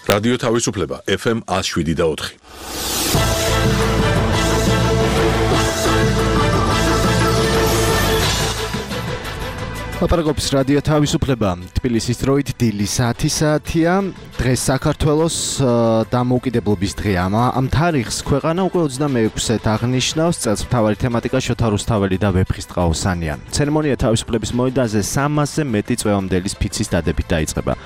რადიო თავისუფლება FM 107.4. ლაპარაკობს რადიო თავისუფლება. თბილისის დროით დილი საათია. დღეს საქართველოს დამოუკიდებლობის დღეა. ამ თარიღს ქვეყანა უკვე 26-ად აღნიშნავს. წელს მთავარი თემატიკა შოთა რუსთაველი და ვეფხისტყაოსანია. ცერემონია თავისუფლების მოედანზე 300-ზე მეტი წვევამდელის ფიცის დადებით დაიწყება.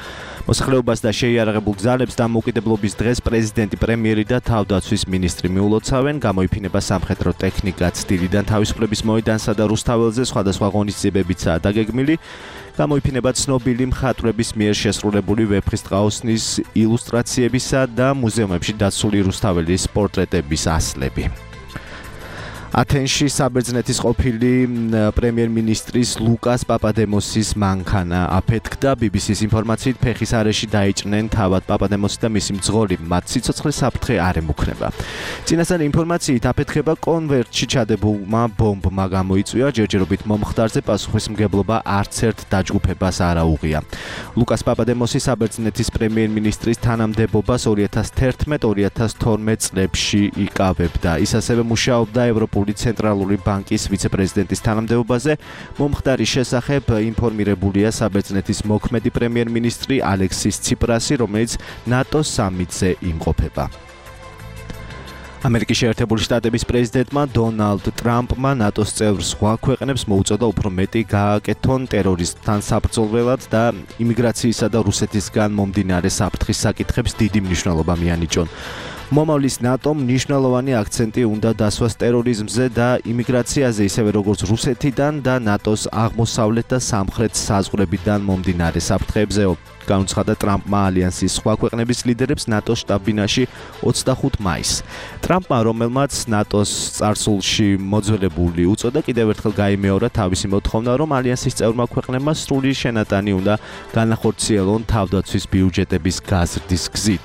მოსახლეობას და შეიარაღებულ ძალებს დამოუკიდებლობის დღეს პრეზიდენტი, პრემიერი და თავდაცვის მინისტრი მიულოცავენ. გამოიფინება სამხედრო ტექნიკაც დილიდან თავისუფლების მოედანსა და რუსთაველზე სხვადასხვა ღონისძიებებიცაა დაგეგმილი. გამოიფინება ცნობილი მხატვრების მიერ შესრულებული ვეფხისტყაოსნის ილუსტრაციებისა და მუზეუმებში დაცული რუსთაველის პორტრეტების ასლები. ათენში საბერძნეთის ყოფილი პრემიერ-მინისტრის ლუკას პაპადემოსის მანქანა აფეთქდა. BBC-ს ინფორმაციით ფეხის არეში დაიჭრნენ თავად პაპადემოსი და მისი მძღოლი. მათ სიცოცხლე საფრთხე არ ემუქრება. წინასწარ ინფორმაციით აფეთქება კონვერტში ჩადებულმა ბომბმა გამოიწვია. ჯერჯერობით მომხდარზე პასუხისმგებლობა არც ერთ დაჯგუფებას არ აუღია. ლუკას პაპადემოსი საბერძნეთის პრემიერ-მინისტრის თანამდებობას 2011-2012 წლებში იკავებდა. ის ასევე მუშაობდა ევროპულ ცენტრალური ბანკის ვიცე-პრეზიდენტის თანამდებობაზე. მომხდარის შესახებ ინფორმირებულია საბერძნეთის მოქმედი პრემიერ-მინისტრი ალექსის ციპრასი, რომელიც ნატოს სამიტზე იმყოფება. ამერიკის შეერთებული შტატების პრეზიდენტმა დონალდ ტრამპმა ნატოს წევრ სხვა ქვეყნებს მოუწოდა უფრო მეტი გააკეთონ ტერორიზმთან საბრძოლველად და იმიგრაციისა და რუსეთისგან მომდინარე საფრთხის საკითხებს დიდი მნიშვნელობა მიანიჭონ. მომავლის ნატომ მნიშვნელოვანი აქცენტი უნდა დასვას ტერორიზმზე და იმიგრაციაზე, ისევე როგორც რუსეთიდან და ნატოს აღმოსავლეთ და სამხრეთ საზღვრებიდან მომდინარე საფრთხეებზეო. განუცხადა ტრამპმა ალიანსის სხვა ქვეყნების ლიდერებს ნატოს შტაბ-ბინაში 25 მაისს. ტრამპმა, რომელმაც ნატოს წარსულში მოძველებული უწოდა, კიდევ ერთხელ გაიმეორა თავისი მოთხოვნა, რომ ალიანსის წევრმა ქვეყნებმა სრული შენატანი უნდა განახორციელონ თავდაცვის ბიუჯეტების გაზრდის გზით.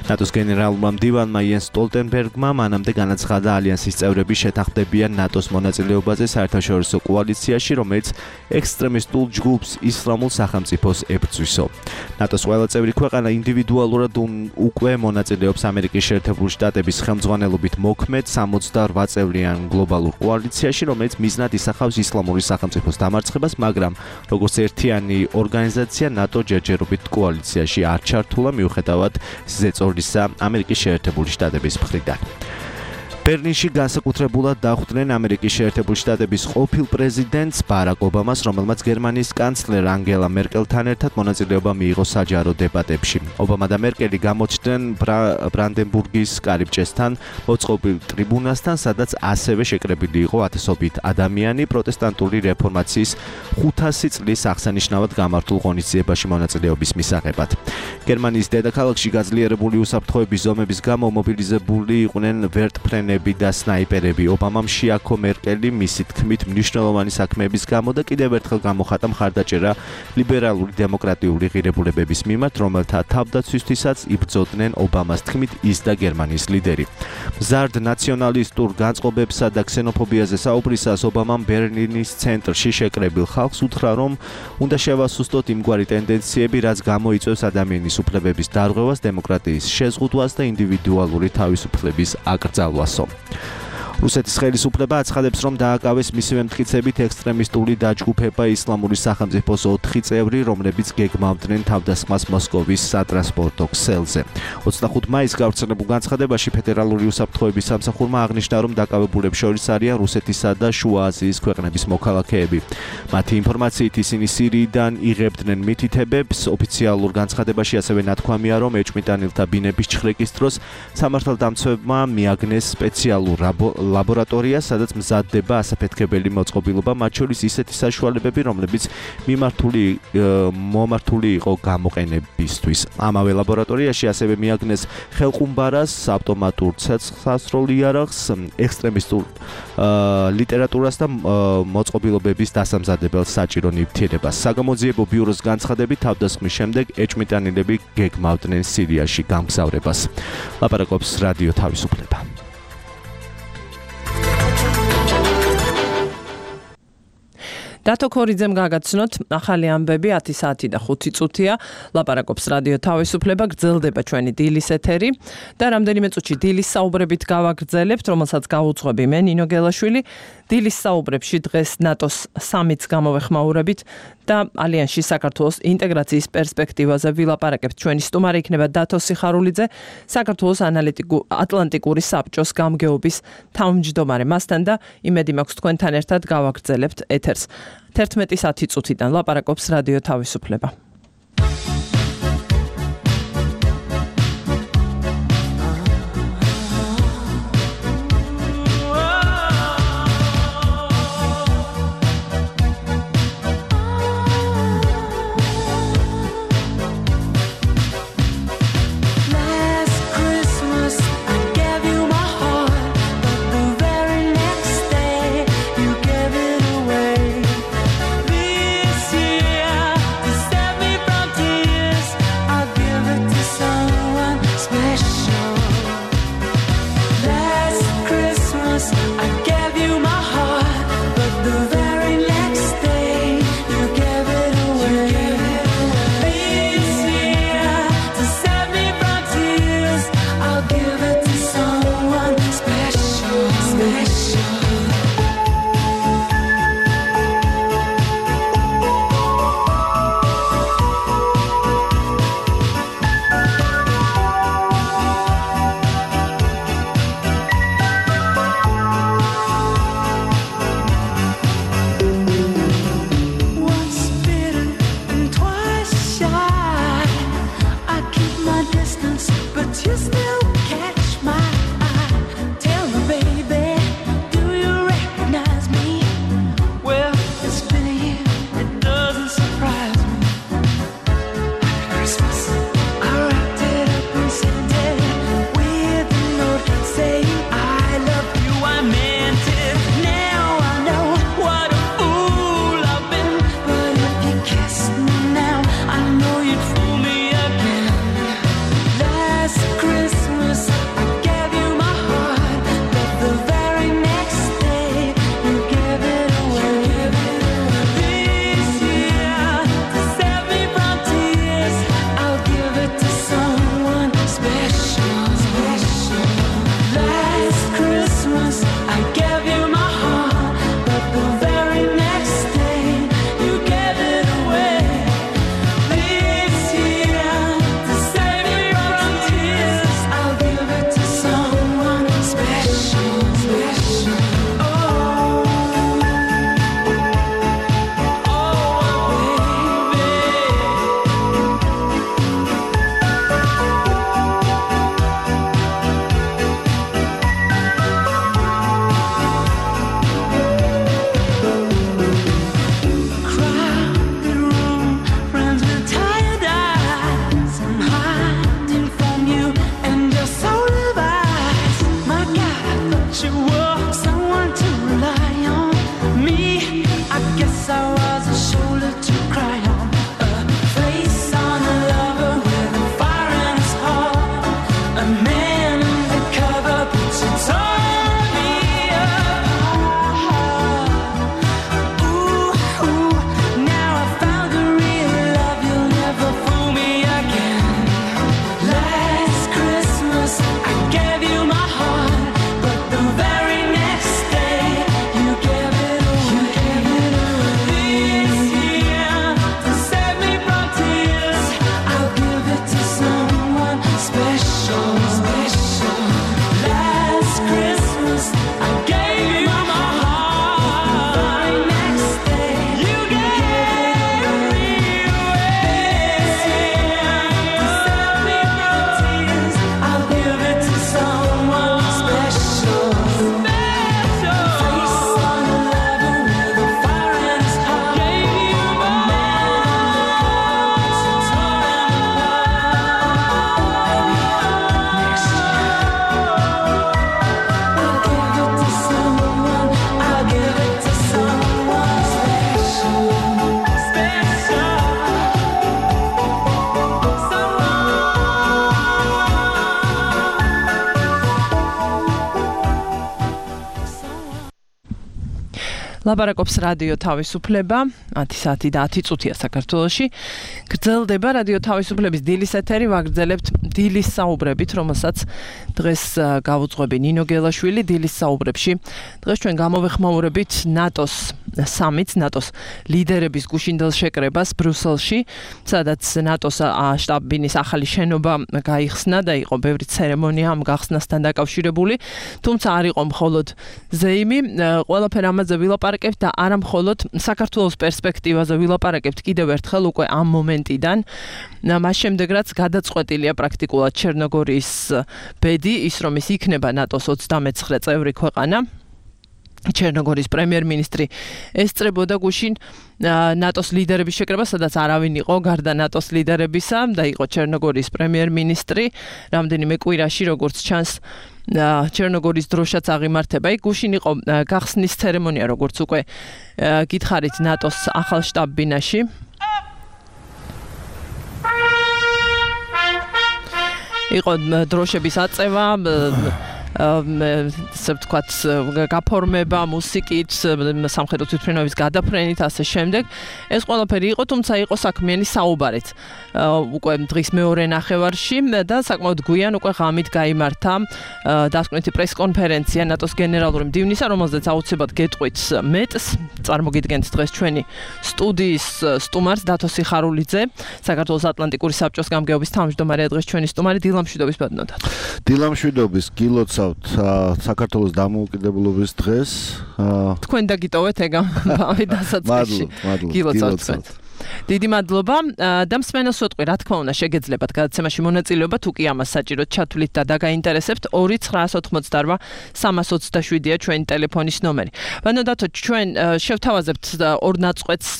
ნატოს გენერალურმა მდივანმა იენს სტოლტენბერგმა მანამდე განაცხადა, ალიანსის წევრები შეთანხმდებიან ნატოს მონაწილეობაზე საერთაშორისო კოალიციაში, რომელიც ექსტრემისტულ ჯგუფს ისლამურ სახელმწიფოს ებრძვისო. ნატოს ყველა წევრი ქვეყანა ინდივიდუალურად უკვე მონაწილეობს ამერიკის შეერთებული შტატების ხელმძღვანელობით მოქმედ 68 წევრიან გლობალურ კოალიციაში, რომელიც მიზნად ისახავს ისლამური სახელმწიფოს დამარცხებას, მაგრამ როგორც ერთიანი ორგანიზაცია ნატო ჯერჯერობით კოალიციაში არ ჩართულა მიუხედავად ზეწოლისა ამერიკის შეერთებული შტატების მხრიდან. ბერლინში განსაკუთრებულად დახვდნენ ამერიკის შეერთებული შტატების ყოფილ პრეზიდენტს ბარაკ ობამას, რომელმაც გერმანიის კანცლერ ანგელა მერკელთან ერთად მონაწილეობა მიიღო საჯარო დებატებში. ობამა და მერკელი გამოჩნდნენ ბრანდენბურგის კარიბჭესთან მოწყობილ ტრიბუნასთან, სადაც ასევე შეკრებილი იყო ათასობით ადამიანი პროტესტანტული რეფორმაციის 500 წლის აღსანიშნავად გამართულ ღონისძიებაში მონაწილეობის მისაღებად. გერმანიის დედაქალაქში გაძლიერებული უსაფრთხოების ზომების გამო მობილიზებული იყვნენ ვერტმფრენები და სნაიპერები. ობამამ შეაქო მერკელი მისი თქმით მნიშვნელოვანი საქმეების გამო და კიდევ ერთხელ გამოხატა მხარდაჭერა ლიბერალური დემოკრატიული ღირებულებების მიმართ, რომელთა თავდაცვისთვისაც იბრძოდნენ ობამას თქმით ის და გერმანიის ლიდერი. მზარდ ნაციონალისტურ განწყობებსა და ქსენოფობიაზე საუბრისას ობამამ ბერლინის ცენტრში შეკრებილ ხალხს უთხრა, რომ უნდა შევასუსტოთ იმგვარი ტენდენციები, რაც გამოიწვევს ადამიანის უფლებების დარღვევას, დემოკრატიის შეზღუდვას და ინდივიდუალური თავისუფლების აკრძალვასო. რუსეთის ხელისუფლება აცხადებს, რომ დააკავეს მისივე მტკიცებით ექსტრემისტული დაჯგუფება ისლამური სახელმწიფოს 4 წევრი, რომლებიც გეგმავდნენ თავდასხმას მოსკოვის სატრანსპორტო ქსელზე. 25 მაისს გავრცელებულ განცხადებაში ფედერალური უსაფრთხოების სამსახურმა აღნიშნა, რომ დაკავებულებს შორის არიან რუსეთისა და შუა აზიის ქვეყნების მოქალაქეები. მათი ინფორმაციით ისინი სირიიდან იღებდნენ მითითებებს. ოფიციალურ განცხადებაში ასევე ნათქვამია, რომ ეჭვმიტანილთა ბინების ჩხრეკის დროს სამართალდამცავებმა მიაგნეს სპეციალურ ლაბორატორია, სადაც მზადდება ასაფეთქებელი მოწყობილობა, მათ შორის ისეთი საშუალებები, რომლებიც მომართული იყო გამოყენებისთვის. ამავე ლაბორატორიაში ასევე მიაგნეს ხელყუმბარას, ავტომატურ ცეცხლსასროლ იარაღს, ექსტრემისტულ ლიტერატურას და მოწყობილობების დასამზადებელ საჭირო ნივთიერებას. საგამოძიებო ბიუროს განცხადებით, თავდასხმის შემდეგ ეჭვმიტანილები გეგმავდნენ სირიაში გამგზავრებას. ლაპარაკობს რადიო თავისუფლება. დათო ქორიძემ გაგაცნოთ ახალი ამბები 10 საათი და 5 წუთია ლაპარაკობს რადიო თავისუფლება გრძელდება ჩვენი დილის ეთერი და რამდენიმე წუთში დილის საუბრებით გავაგრძელებთ რომელსაც გავუძღვები მე ნინო გელაშვილი დილის საუბრებში დღეს ნატოს სამიტს გამოვეხმაურებით და ალიანსში საქართველოს ინტეგრაციის პერსპექტივაზე ვილაპარაკებთ ჩვენი სტუმარი იქნება დათო სიხარულიძე საქართველოს ატლანტიკური საბჭოს გამგეობის თავმჯდომარე მასთან და იმედი მაქვს თქვენთან ერთად გავაგრძელებთ ეთერს 11 საათი წუთიდან ლაპარაკობს რადიო თავისუფლება This year to set me ლაპარაკობს რადიო თავისუფლება 10 საათი და 10 წუთია საქართველოში. გრძელდება რადიო თავისუფლების დილის ეთერი, ვაგრძელებთ დილის საუბრებით, რომელსაც დღეს გავუძღვები ნინო გელაშვილი დილის საუბრებში. დღეს ჩვენ გამოვეხმაურებით ნატოს სამიტს, ნატოს ლიდერების გუშინდელ შეკრებას ბრიუსელში, სადაც ნატოს შტაბ-ბინის ახალი შენობა გაიხსნა და იყო ბევრი ცერემონია ამ გახსნასთან დაკავშირებული, თუმცა არ იყო მხოლოდ ზეიმი, ყველაფერი ამაზე ვილაპარაკებთ და არა მხოლოდ საქართველოს პერსპექტივაზე ვილაპარაკებთ კიდევ ერთხელ უკვე ამ მომენტიდან. მას შემდეგ რაც გადაწყვეტილია პრაქტიკულად ჩერნოგორიის ბედი, ის რომ ის იქნება ნატოს 39 წევრი ქვეყანა. ჩერნოგორიის პრემიერ-მინისტრი ესწრებოდა გუშინ ნატოს ლიდერების შეკრებას, სადაც არავინ იყო გარდა ნატოს ლიდერებისა და იყო ჩერნოგორიის პრემიერ-მინისტრი. რამდენიმე კვირაში, როგორც ჩანს, ჩერნოგორიის დროშაც აღიმართება. იქ გუშინ იყო გახსნის ცერემონია, როგორც უკვე გითხარით ნატოს ახალ შტაბ-ბინაში. იყო დროშების აწევა, ასე ვთქვათ, გაფორმება, მუსიკით, სამხედრო თვითმფრინავის გადაფრენით, ასე შემდეგ. ეს ყველაფერი იყო, თუმცა იყო საქმიანი საუბარით. უკვე დღის მეორე ნახევარში და საკმაოდ გვიან უკვე ღამით გაიმართა დასკვნითი პრესკონფერენცია ნატოს გენერალური მდივნისა, რომელზეც აუცილებლად გეტყვით მეტს. წარმოგიდგენთ დღეს ჩვენი სტუდიის სტუმარს დათო სიხარულიძე, საქართველოს ატლანტიკური საბჭოს გამგეობის თავმჯდომარე, დღეს ჩვენი სტუმარი დილამშვიდობის ბატონო. დილამშვიდობის გილოცავთ საქართველოს დამოუკიდებლობის დღეს. თქვენ დაგიტოვეთ ეგ ამბავი დასაწყისში. გილოცავთ თქვენ. დიდი მადლობა და მსმენელს ვეტყვი, რა თქმა უნდა, შეგეძლებათ გადაცემაში მონაწილეობა, თუ კი ამას საჭიროდ ჩათვლით და დაგაინტერესებთ, 2-988-327-ია ჩვენი ტელეფონის ნომერი. ბანო დათო, ჩვენ შევთავაზებთ ორ ნაწყვეტს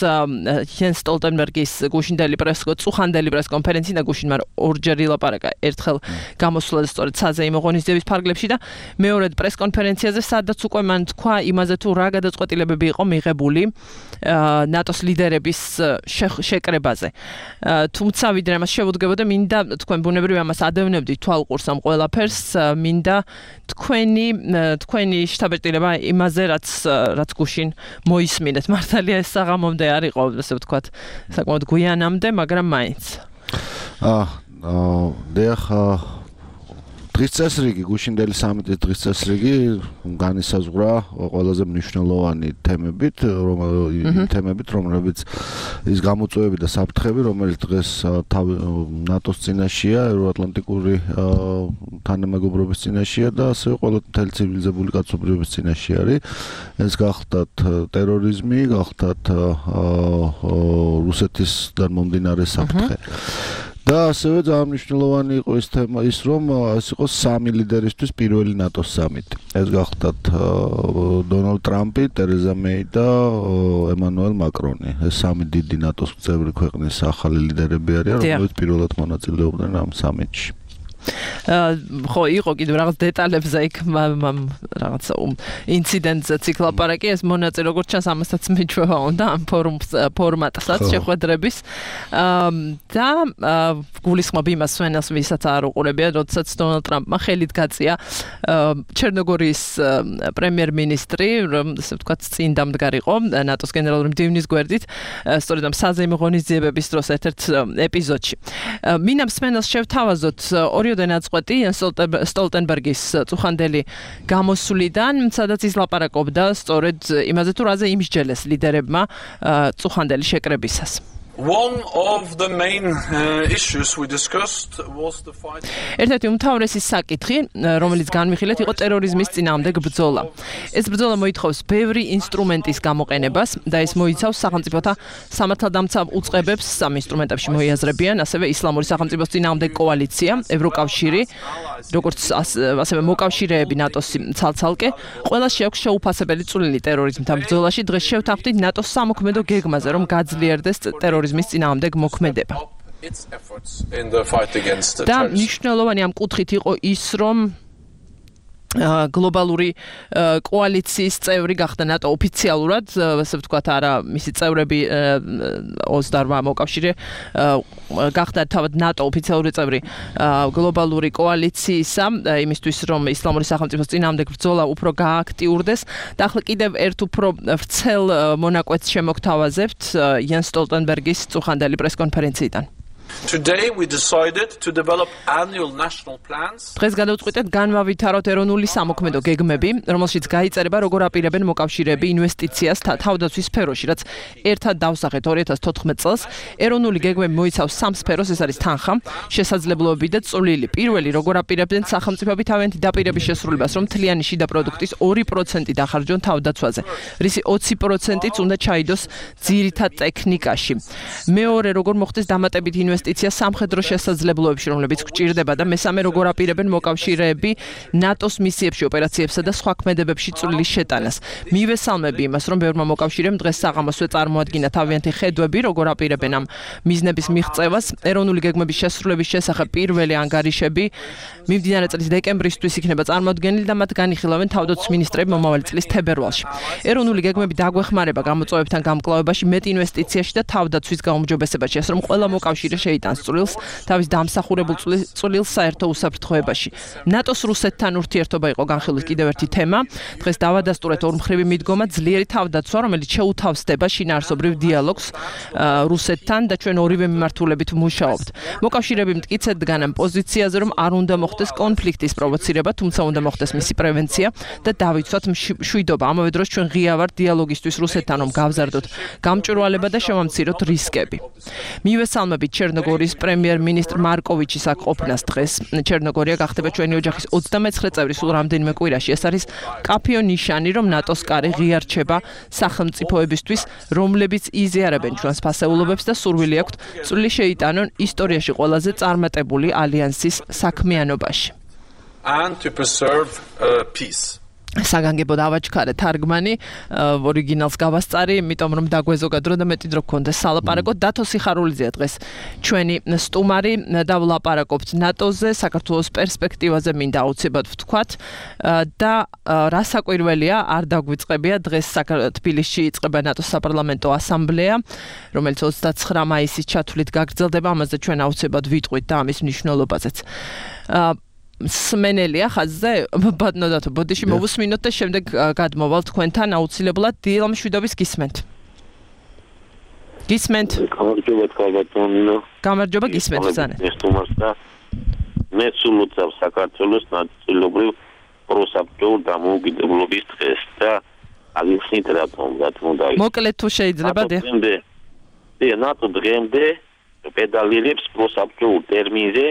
იენს სტოლტენბერგის გუშინდელი წუხანდელი პრესკონფერენცია და გუშინ მან ორჯერ ილაპარაკა, ერთხელ გამოსულა სწორედ საზეიმო ღონისძიების ფარგლებში და მეორედ პრესკონფერენციაზე, სადაც უკვე მან თქვა იმაზე, თუ რა გადაწყვეტილებები იყო მიღებული ნატოს ლიდერების შეკრებაზე. თუმცა ვიდრე ამას შევუდგებოდა, მინდა თქვენ ბუნებრივია ამას ადევნებდით თვალყურს ამ ყველაფერს, მინდა თქვენი შთაბეჭდილება იმაზე, რაც გუშინ მოისმინეთ. მართალია ეს საღამომდე არ იყო, ასე ვთქვათ, საკმაოდ გვიანამდე, მაგრამ მაინც. დიახ, დღის წესრიგი, გუშინდელი სამიტის დღის წესრიგი განისაზღვრა ყველაზე მნიშვნელოვანი თემებით, რომლებიც ის გამოწვევები და საფრთხები, რომელიც დღეს ნატოს წინაშეა, ევროატლანტიკური თანამეგობრობის წინაშეა და ასევე ყველა მთელი ცივილიზებული კაცობრიობის წინაშე არის. ეს გახლდათ ტერორიზმი, გახლდათ რუსეთისგან მომდინარე საფრთხე. და ასევე ძალიან მნიშვნელოვანი იყო ის თემა, რომ ეს იყო სამი ლიდერისთვის პირველი ნატოს სამიტი. ეს გახლდათ დონალდ ტრამპი, ტერეზა მეი და ემანუელ მაკრონი. ეს სამი დიდი ნატოს წევრი ქვეყნის ახალი ლიდერები არიან, რომლებიც პირველად მონაწილეობდნენ ამ სამიტში. ხო, იყო კიდევ რაღაც დეტალებზე იქ რაღაც ინციდენტზეც იქ ლაპარაკი, ეს მონაწილე როგორც ჩანს ამასაც მიჩვევა უნდა ამ ფორმატსაც შეხვედრების და გულისხმობ იმას სვენელს, ვისაც არ უყურებია, როდესაც დონალდ ტრამპმა ხელით გაწია ჩერნოგორიის პრემიერ-მინისტრი, ასე ვთქვათ, წინ დამდგარიყო ნატოს გენერალური მდივნის გვერდით, სწორედ ამ საზეიმო ღონისძიებების დროს ერთ-ერთ ეპიზოდში. მინდა მსმენელს შევთავაზოთ ორი ნაწყვეტი სტოლტენბერგის წუხანდელი გამოსვლიდან, სადაც ის ლაპარაკობდა სწორედ იმაზე, თუ რაზე იმსჯელეს ლიდერებმა წუხანდელი შეკრებისას. One of the main issues we discussed was the fight. ერთ-ერთი უმთავრესი საკითხი, რომელიც განვიხილეთ, იყო ტერორიზმის წინააღმდეგ ბრძოლა. ეს ბრძოლა მოითხოვს ბევრი ინსტრუმენტის გამოყენებას და ეს მოიცავს სახელმწიფოთა სამართალდამცავ უწყებებს სამ ინსტრუმენტებში მოიაზრებიან, ასევე ისლამური სახელმწიფოს წინააღმდეგ კოალიცია, ევროკავშირი, როგორც ასევე მოკავშირეები ნატოს ცალ-ცალკე, ყველას შეაქვს შეუფასებელი წვლილი ტერორიზმთან ბრძოლაში. დღეს შევთანხმდით ნატოს სამოქმედო გეგმაზე, რომ გაძლიერდეს ტერორიზმის წინააღმდეგ მოქმედება. და მნიშვნელოვანი ამ კუთხით იყო ის, რომ გლობალური კოალიციის წევრი გახდა ნატო ოფიციალურად, ასე ვთქვათ, არა, მისი წევრები 28 მოკავშირე გახდა თავად ნატო ოფიციალური წევრი გლობალური კოალიციისა, იმისთვის რომ ისლამური სახელმწიფოს წინააღმდეგ ბრძოლა უფრო გააქტიურდეს. და ახლა კიდევ ერთ უფრო ვრცელ მონაკვეთს შემოგთავაზებთ იენ სტოლტენბერგის წუხანდელი პრესკონფერენციიდან. Today we decided to develop annual national plans. დღეს გადავწყვიტეთ განმავითაროთ ეროვნული სამოქმედო გეგმები, რომელშიც გაიწერება როგორ აპირებენ მოკავშირეები ინვესტიციას თავდაცვის სფეროში, რაც ერთად დავსახეთ 2014 წელს. ეროვნული გეგმები მოიცავს 3 სფეროს, ეს არის თანხა, შესაძლებლობები და წვლილი. პირველი, როგორ აპირებდნენ სახელმწიფოები თავიანთი დაპირების შესრულებას, რომ მთლიანი შიდა პროდუქტის 2% დახარჯონ თავდაცვაზე. რისი 20%-იც უნდა ჩაიდოს ძირითად ტექნიკაში. მეორე, როგორ მოხდეს დამატებითი ინვესტიცია სამხედრო შესაძლებლობებში, რომლებიც გვჭირდება და მესამე, როგორ აპირებენ მოკავშირეები ნატოს მისიებში, ოპერაციებსა და სხვა ქმედებებში წვლილის შეტანას. მივესალმები იმას, რომ ბევრმა მოკავშირემ დღეს საღამოსვე წარმოადგინა თავიანთი ხედვები, როგორ აპირებენ ამ მიზნების მიღწევას. ეროვნული გეგმების შესრულების შესახებ პირველი ანგარიშები მიმდინარე წლის დეკემბრისთვის იქნება წარმოდგენილი და მათ განიხილავენ თავდაცვის მინისტრები მომავალი წლის თებერვალში. ეროვნული გეგმები დაგვეხმარება გამოწვევებთან გამკლავებაში, მეტ ინვესტიციაში და თავდაცვის გაუმჯობესებაში, ასე რომ ყველა მოკავშირე შეიტანს წვლილს თავის დამსახურებულ წვლილს საერთო უსაფრთხოებაში. ნატოს რუსეთთან ურთიერთობა იყო განხილვის კიდევ ერთი თემა. დღეს დავადასტურეთ ორმხრივი მიდგომა ძლიერი თავდაცვა, რომელიც შეუთავსდება შინაარსობრივ დიალოგს რუსეთთან და ჩვენ ორივე მიმართულებით ვმუშაობთ. მოკავშირეები მტკიცედ დგან ამ პოზიციაზე, რომ არ უნდა მოხდეს კონფლიქტის პროვოცირება, თუმცა უნდა მოხდეს მისი პრევენცია და დავიცვათ მშვიდობა. ამავე დროს ჩვენ ღია ვართ დიალოგისთვის რუსეთთან, რომ გავზარდოთ გამჭვირვალება და შევამციროთ რისკები. მივესალმებით ჩერნოგორიის პრემიერ-მინისტრ მარკოვიჩის აქ ყოფნას დღეს. ჩერნოგორია გახდება ჩვენი ოჯახის 29 წევრი სულ რამდენიმე კვირაში. ეს არის კაფეო ნიშანი, რომ ნატოს კარი ღია რჩება სახელმწიფოებისთვის, რომლებიც იზიარებენ ჩვენს ფასეულობებს და სურვილი აქვთ წვლილი შეიტანონ ისტორიაში ყველაზე წარმატებული ალიანსის საქმიანობაში. And to preserve peace. საგანგებო დავაჩქარე თარგმანი, ორიგინალს გავასწარი, იმიტომ რომ დაგვეზოგადრო და მეტი დრო გქონდეს სალაპარაკო. დათო სიხარულიძეა დღეს ჩვენი სტუმარი და ვლაპარაკობთ ნატოზე, საქართველოს პერსპექტივაზე მინდა აუცილებლად ვთქვათ და რა საკვირველია, არ დაგვიწყებია დღეს თბილისში იწყება ნატოს საპარლამენტო ასამბლეა, რომელიც 29 მაისის ჩათვლით გაგრძელდება, ამაზე ჩვენ აუცილებლად ვიტყვით და ამის მნიშვნელობაზეც. სმენელია ხაზზე ბატონო დათო ბოდიში მოვუსმინოთ და შემდეგ გადმოვალ თქვენთან აუცილებლად დილა მშვიდობის გისმენთ. გამარჯობა გისმენთ ბრძანეთ. მე სულ უწევ საქართველოს ნაწილობრივ პროსაბჭოურ დამოუკიდებლობის დღეს და აგიხსნით რატომ მოკლედ თუ შეიძლება ნატო დღემდე პედალირებს პროსაბჭოურ ტერმინზე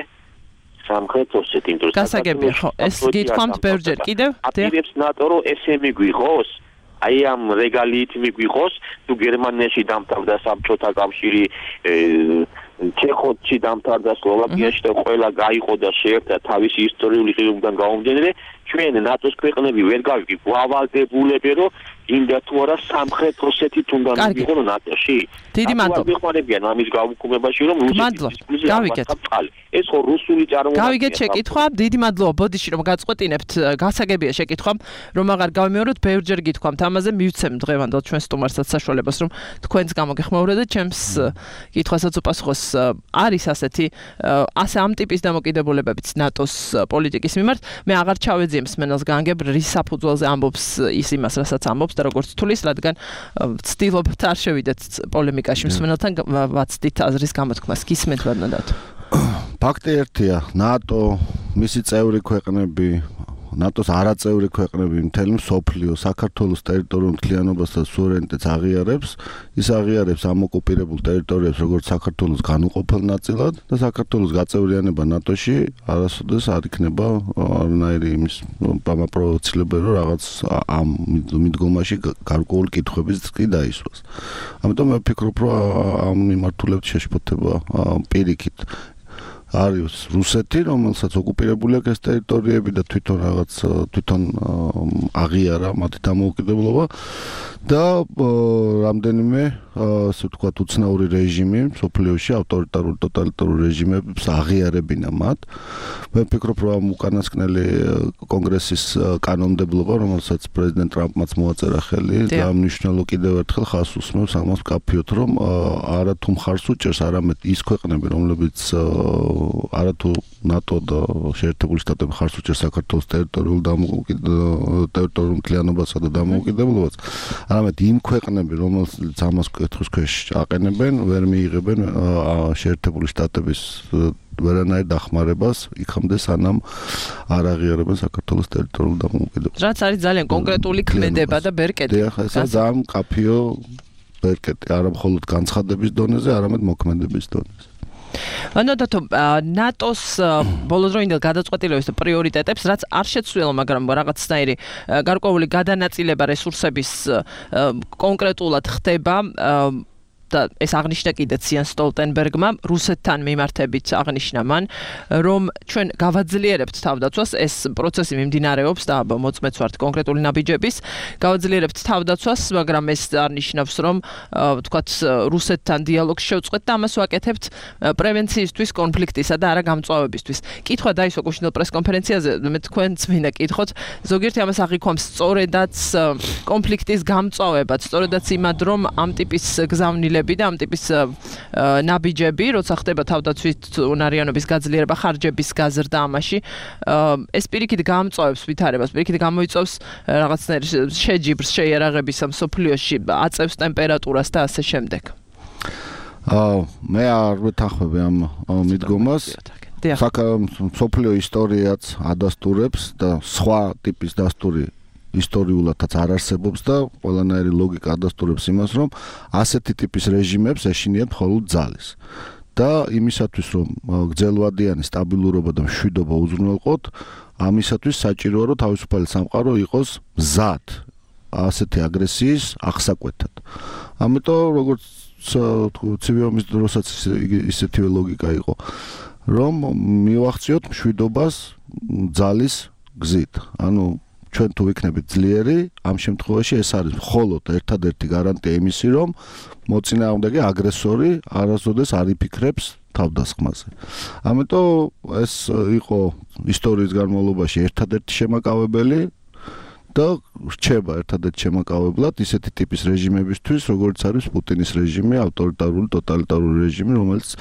სამხრეთ ოსეთის გასაგებია ხო ეს გითხვამთ ბევრჯერ კიდევ აპირებს ნატო რომ ესე მიგვიღოს აი ამ რეგალიით მიგვიღოს თუ გერმანიაში დამთავრდა საბჭოთა კავშირი ჩეხეთში დამთავრდა სლოვაკიაში და ყველა გაიყო და შეერთდა თავისი ისტორიული ღირებულიდან გამომდინარე ჩვენ ნატოს ქვეყნები ვერ გავიგებ ვალდებულები რომ ინდა თუ არა სამხრეთ ოსეთის უნდა მივიღო ნატოში დიდი მადლობა ვიხმარებიან ამის გაუქმებაში რომ რუსეთის გავიგეთ ეს ხო რუსული წარმოება გავიგეთ შეკითხვა დიდი მადლობა ბოდიში რომ გაწყვეტინებთ გასაგებია შეკითხვა რომ აღარ გავიმეოროთ ბევრჯერ გითხვამთ ამაზე მივცემ დღევანდელ ჩვენ სტუმარსაც საშუალებას რომ თქვენს გამოგეხმაუროთ და ჩემს კითხვასაც უპასუხოს არის ასეთი ასე ამ ტიპის დამოკიდებულებებიც ნატოს პოლიტიკის მიმართ მე აღარ ჩავეძიებ მსმენელს განგებ რის საფუძველზე ამბობს ის იმას რასაც ამბობს და როგორც თulis რადგან ვცდილობთ არ შევიდეთ პოლემიკაში მსმენელთან ვაცდით აზრის გამოთქმას გისმენთ ბატონო ფაქტი ერთია ნატო მისი წევრი ქვეყნები ნატოს არაწევრი ქვეყნები მთელი მსოფლიო საქართველოს ტერიტორიულ მთლიანობას და სუვერენიტეტს აღიარებს ის აღიარებს ამ ოკუპირებულ ტერიტორიებს როგორც საქართველოს განუყოფელ ნაწილად და საქართველოს გაწევრიანება ნატოში არასოდეს არ იქნება არანაირი იმის პროვოცირებელი რომ რაღაც ამ მიდგომაში გარკვეული კითხვების კი დაისვას ამიტომ მე ვფიქრობ რომ ამ მიმართულებით შეშფოთება პირიქით არის რუსეთი, რომელსაც ოკუპირებული აქვს ეს ტერიტორიები და თვითონ აღიარა მათი დამოუკიდებლობა და რამდენიმე ასე ვთქვათ უცნაური რეჟიმი სოფლიოში ავტორიტარული ტოტალიტარული რეჟიმებს აღიარებინა მათ. მე ვფიქრობ, რომ უკანასკნელი კონგრესის კანონმდებლობა, რომელსაც პრეზიდენტ ტრამპმაც მოაწერა ხელი და მნიშვნელო კიდევ ერთხელ ხაზს უსმევს ამას კაფიოთ, რომ არა თუ მხარს უჭერს, არამედ ის ქვეყნები, რომლებიც არა თუ ნატო და შეერთებული შტატები ხარს უჭერს საქართველოს ტერიტორიულ მთლიანობასა და დამოუკიდებლობას, არამედ იმ ქვეყნები, რომელსაც ამას კითხვის ქვეშ აყენებენ, ვერ მიიღებენ შეერთებული შტატების ვერანაირ დახმარებას იქამდე სანამ არ აღიარებენ საქართველოს ტერიტორიულ დამოუკიდებლობას. რაც არის ძალიან კონკრეტული ქმედება და ბერკეტი. დიახ, ესა ძალიან კაფიო ბერკეტი, არა მხოლოდ განცხადების დონეზე, არამედ მოქმედების დონეზე. ანუ დათო ნატოს ბოლოდროინდელ გადაწყვეტილების და პრიორიტეტებს, რაც არ შეცვლილა, მაგრამ რაღაცნაირი გარკვეული გადანაწილება რესურსების კონკრეტულად ხდება და ეს აღნიშნა კიდეც იან სტოლტენბერგმა რუსეთთან მიმართებით აღნიშნა მან, რომ ჩვენ გავაძლიერებთ თავდაცვას, ეს პროცესი მიმდინარეობს და მოწმეც ვართ კონკრეტული ნაბიჯების, გავაძლიერებთ თავდაცვას, მაგრამ ეს არნიშნავს, რომ ვთქვათ რუსეთთან დიალოგს შევწყვეტ და ამას ვაკეთებთ პრევენციისთვის, კონფლიქტისა და არა გამწვავებისთვის. კითხვა დაისვა გუშინდელ პრესკონფერენციაზე, მე თქვენც მინდა კითხოთ, ზოგიერთი ამას აღიქვამს სწორედაც კონფლიქტის გამწვავებად, სწორედაც იმად, რომ ამ ტიპის გზავნილება და ამ ტიპის ნაბიჯები, როცა ხდება თავდაცვით უნარიანობის გაძლიერება, ხარჯების გაზრდა ამაში, ეს პირიქით გამწვავებს ვითარებას, პირიქით გამოიწვევს რაღაცნაირ შეჯიბრს, შეიარაღების ამ სოფლიოში, აწევს ტემპერატურას და ასე შემდეგ. მე არ ვეთანხმები ამ მიდგომას. სოფლიო ისტორიაც ადასტურებს და სხვა ტიპის დასტური ისტორიულადაც არ არსებობს და ყველანაირი ლოგიკა ადასტურებს იმას, რომ ასეთი ტიპის რეჟიმებს ეშინიათ მხოლოდ ძალის. და იმისათვის, რომ გრძელვადიანი სტაბილურობა და მშვიდობა უზრუნველყოთ, ამისათვის საჭიროა, რომ თავისუფალი სამყარო იყოს მზად ასეთი აგრესიის აღსაკვეთად. ამიტომ როგორც ცივი ომის დროსაც ისეთივე ლოგიკა იყო, რომ მივახციოთ მშვიდობას ძალის გზით. ანუ ჩვენ თუ ვიქნებით ძლიერი, ამ შემთხვევაში ეს არის მხოლოდ ერთადერთი გარანტია იმისი, რომ მოწინააღმდეგე აგრესორი არასოდეს არ იფიქრებს თავდასხმაზე. ამიტომ ეს იყო ისტორიის განმავლობაში ერთადერთი შემაკავებელი და რჩება ერთადერთი შემაკავებლად ისეთი ტიპის რეჟიმებისთვის, როგორც არის პუტინის რეჟიმი, ავტორიტარული, ტოტალიტარული რეჟიმი, რომელიც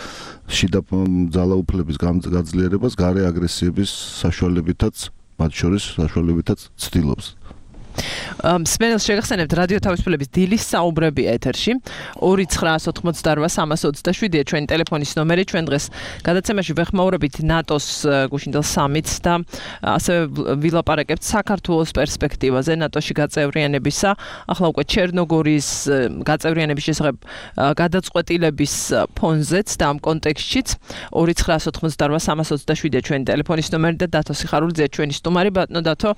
შიდა ძალაუფლების გაძლიერებას გარე აგრესიების საშუალებითაც მათ შორის საშუალებითაც ცდილობს. სპენელს შეგახსენებთ რადიო თავისუფლების დილის საუბრები ეთერში 2988327 ჩვენი ტელეფონის ნომერი. ჩვენ დღეს გადაცემაში ვეხმაურებით ნატოს გუშინდელ სამიტს და ასევე ვილაპარაკებთ საქართველოს პერსპექტივაზე ნატოში გაწევრიანებისა. ახლა უკვე ჩერნოგორიის გაწევრიანების შესახებ გადაწყვეტილების ფონზეც და ამ კონტექსტშიც 2988327 ჩვენი ტელეფონის ნომერი და დათო სიხარულიძე ჩვენი სტუმარი. ბატონო დათო,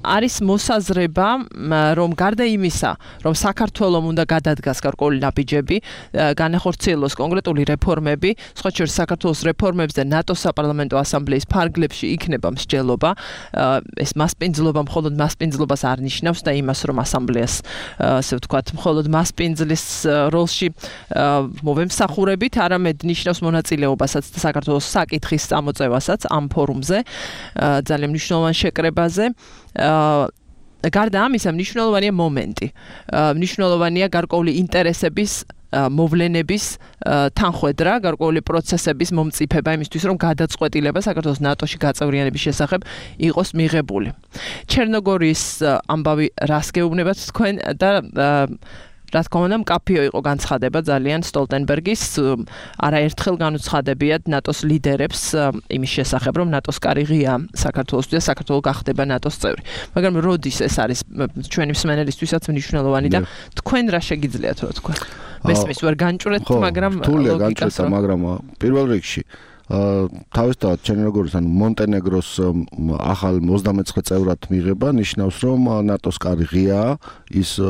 არის მოსაზრება, რომ გარდა იმისა, რომ საქართველოს უნდა გადადგას გარკვეული ნაბიჯები, განახორციელოს კონკრეტული რეფორმები, სხვა შორის საქართველოს რეფორმებს და ნატოს საპარლამენტო ასამბლეის ფარგლებში იქნება მსჯელობა. ეს მასპინძლობა მხოლოდ მასპინძლობას არ ნიშნავს და იმას, რომ ასამბლეას, ასე ვთქვათ, მხოლოდ მასპინძლის როლში მოვემსახურებით, არამედ ნიშნავს მონაწილეობასაც და საქართველოს საკითხის წამოწევასაც ამ ფორუმზე, ძალიან მნიშვნელოვან შეკრებაზე. გარდა ამისა, მნიშვნელოვანია მომენტი. მნიშვნელოვანია გარკვეული ინტერესების მოვლენების თანხვედრა, გარკვეული პროცესების მომწიფება იმისთვის, რომ გადაწყვეტილება საქართველოს ნატოში გაწევრიანების შესახებ იყოს მიღებული. ჩერნოგორიის ამბავი რას გეუბნებათ თქვენ და რა თქმა უნდა, მკაფიო იყო განცხადება ძალიან სტოლტენბერგის, არაერთხელ განუცხადებიათ ნატოს ლიდერებს იმის შესახებ, რომ ნატოს კარი ღია საქართველოსთვის და საქართველო გახდება ნატოს წევრი. მაგრამ როდის ეს არის ჩვენი მსმენელისთვისაც მნიშვნელოვანი და თქვენ რა შეგიძლიათ რა თქვა? მესმის ვერ განჭვრეთ, მაგრამ თულია განჭრეთა, მაგრამ პირველ რიგში თავისთავად ჩვენ როგორც ანუ მონტენეგროს ახალ 29 წევრად მიღება ნიშნავს რომ ნატოს კარი ღიაა ის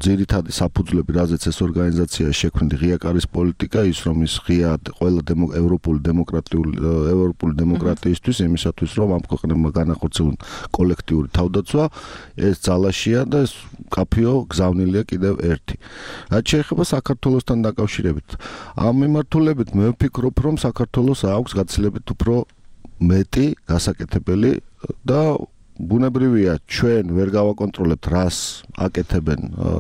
ძირითადი საფუძვლები რაზეც ეს ორგანიზაცია შექმნილი ღია კარის პოლიტიკა ის რომ ის ღია ყველა ევროპული დემოკრატიისთვის იმისათვის რომ ამ ქვეყნებმა განახორციელონ კოლექტიური თავდაცვა ეს ძალაშია და ეს კაფეო გზავნილია კიდევ ერთი რაც შეეხება საქართველოსთან დაკავშირებით ამ მიმართულებით მე ვფიქრობ რომ საქართველოს აქვს გაცილებით უფრო მეტი გასაკეთებელი და ბუნებრივია ჩვენ ვერ გავაკონტროლებთ რას აკეთებენ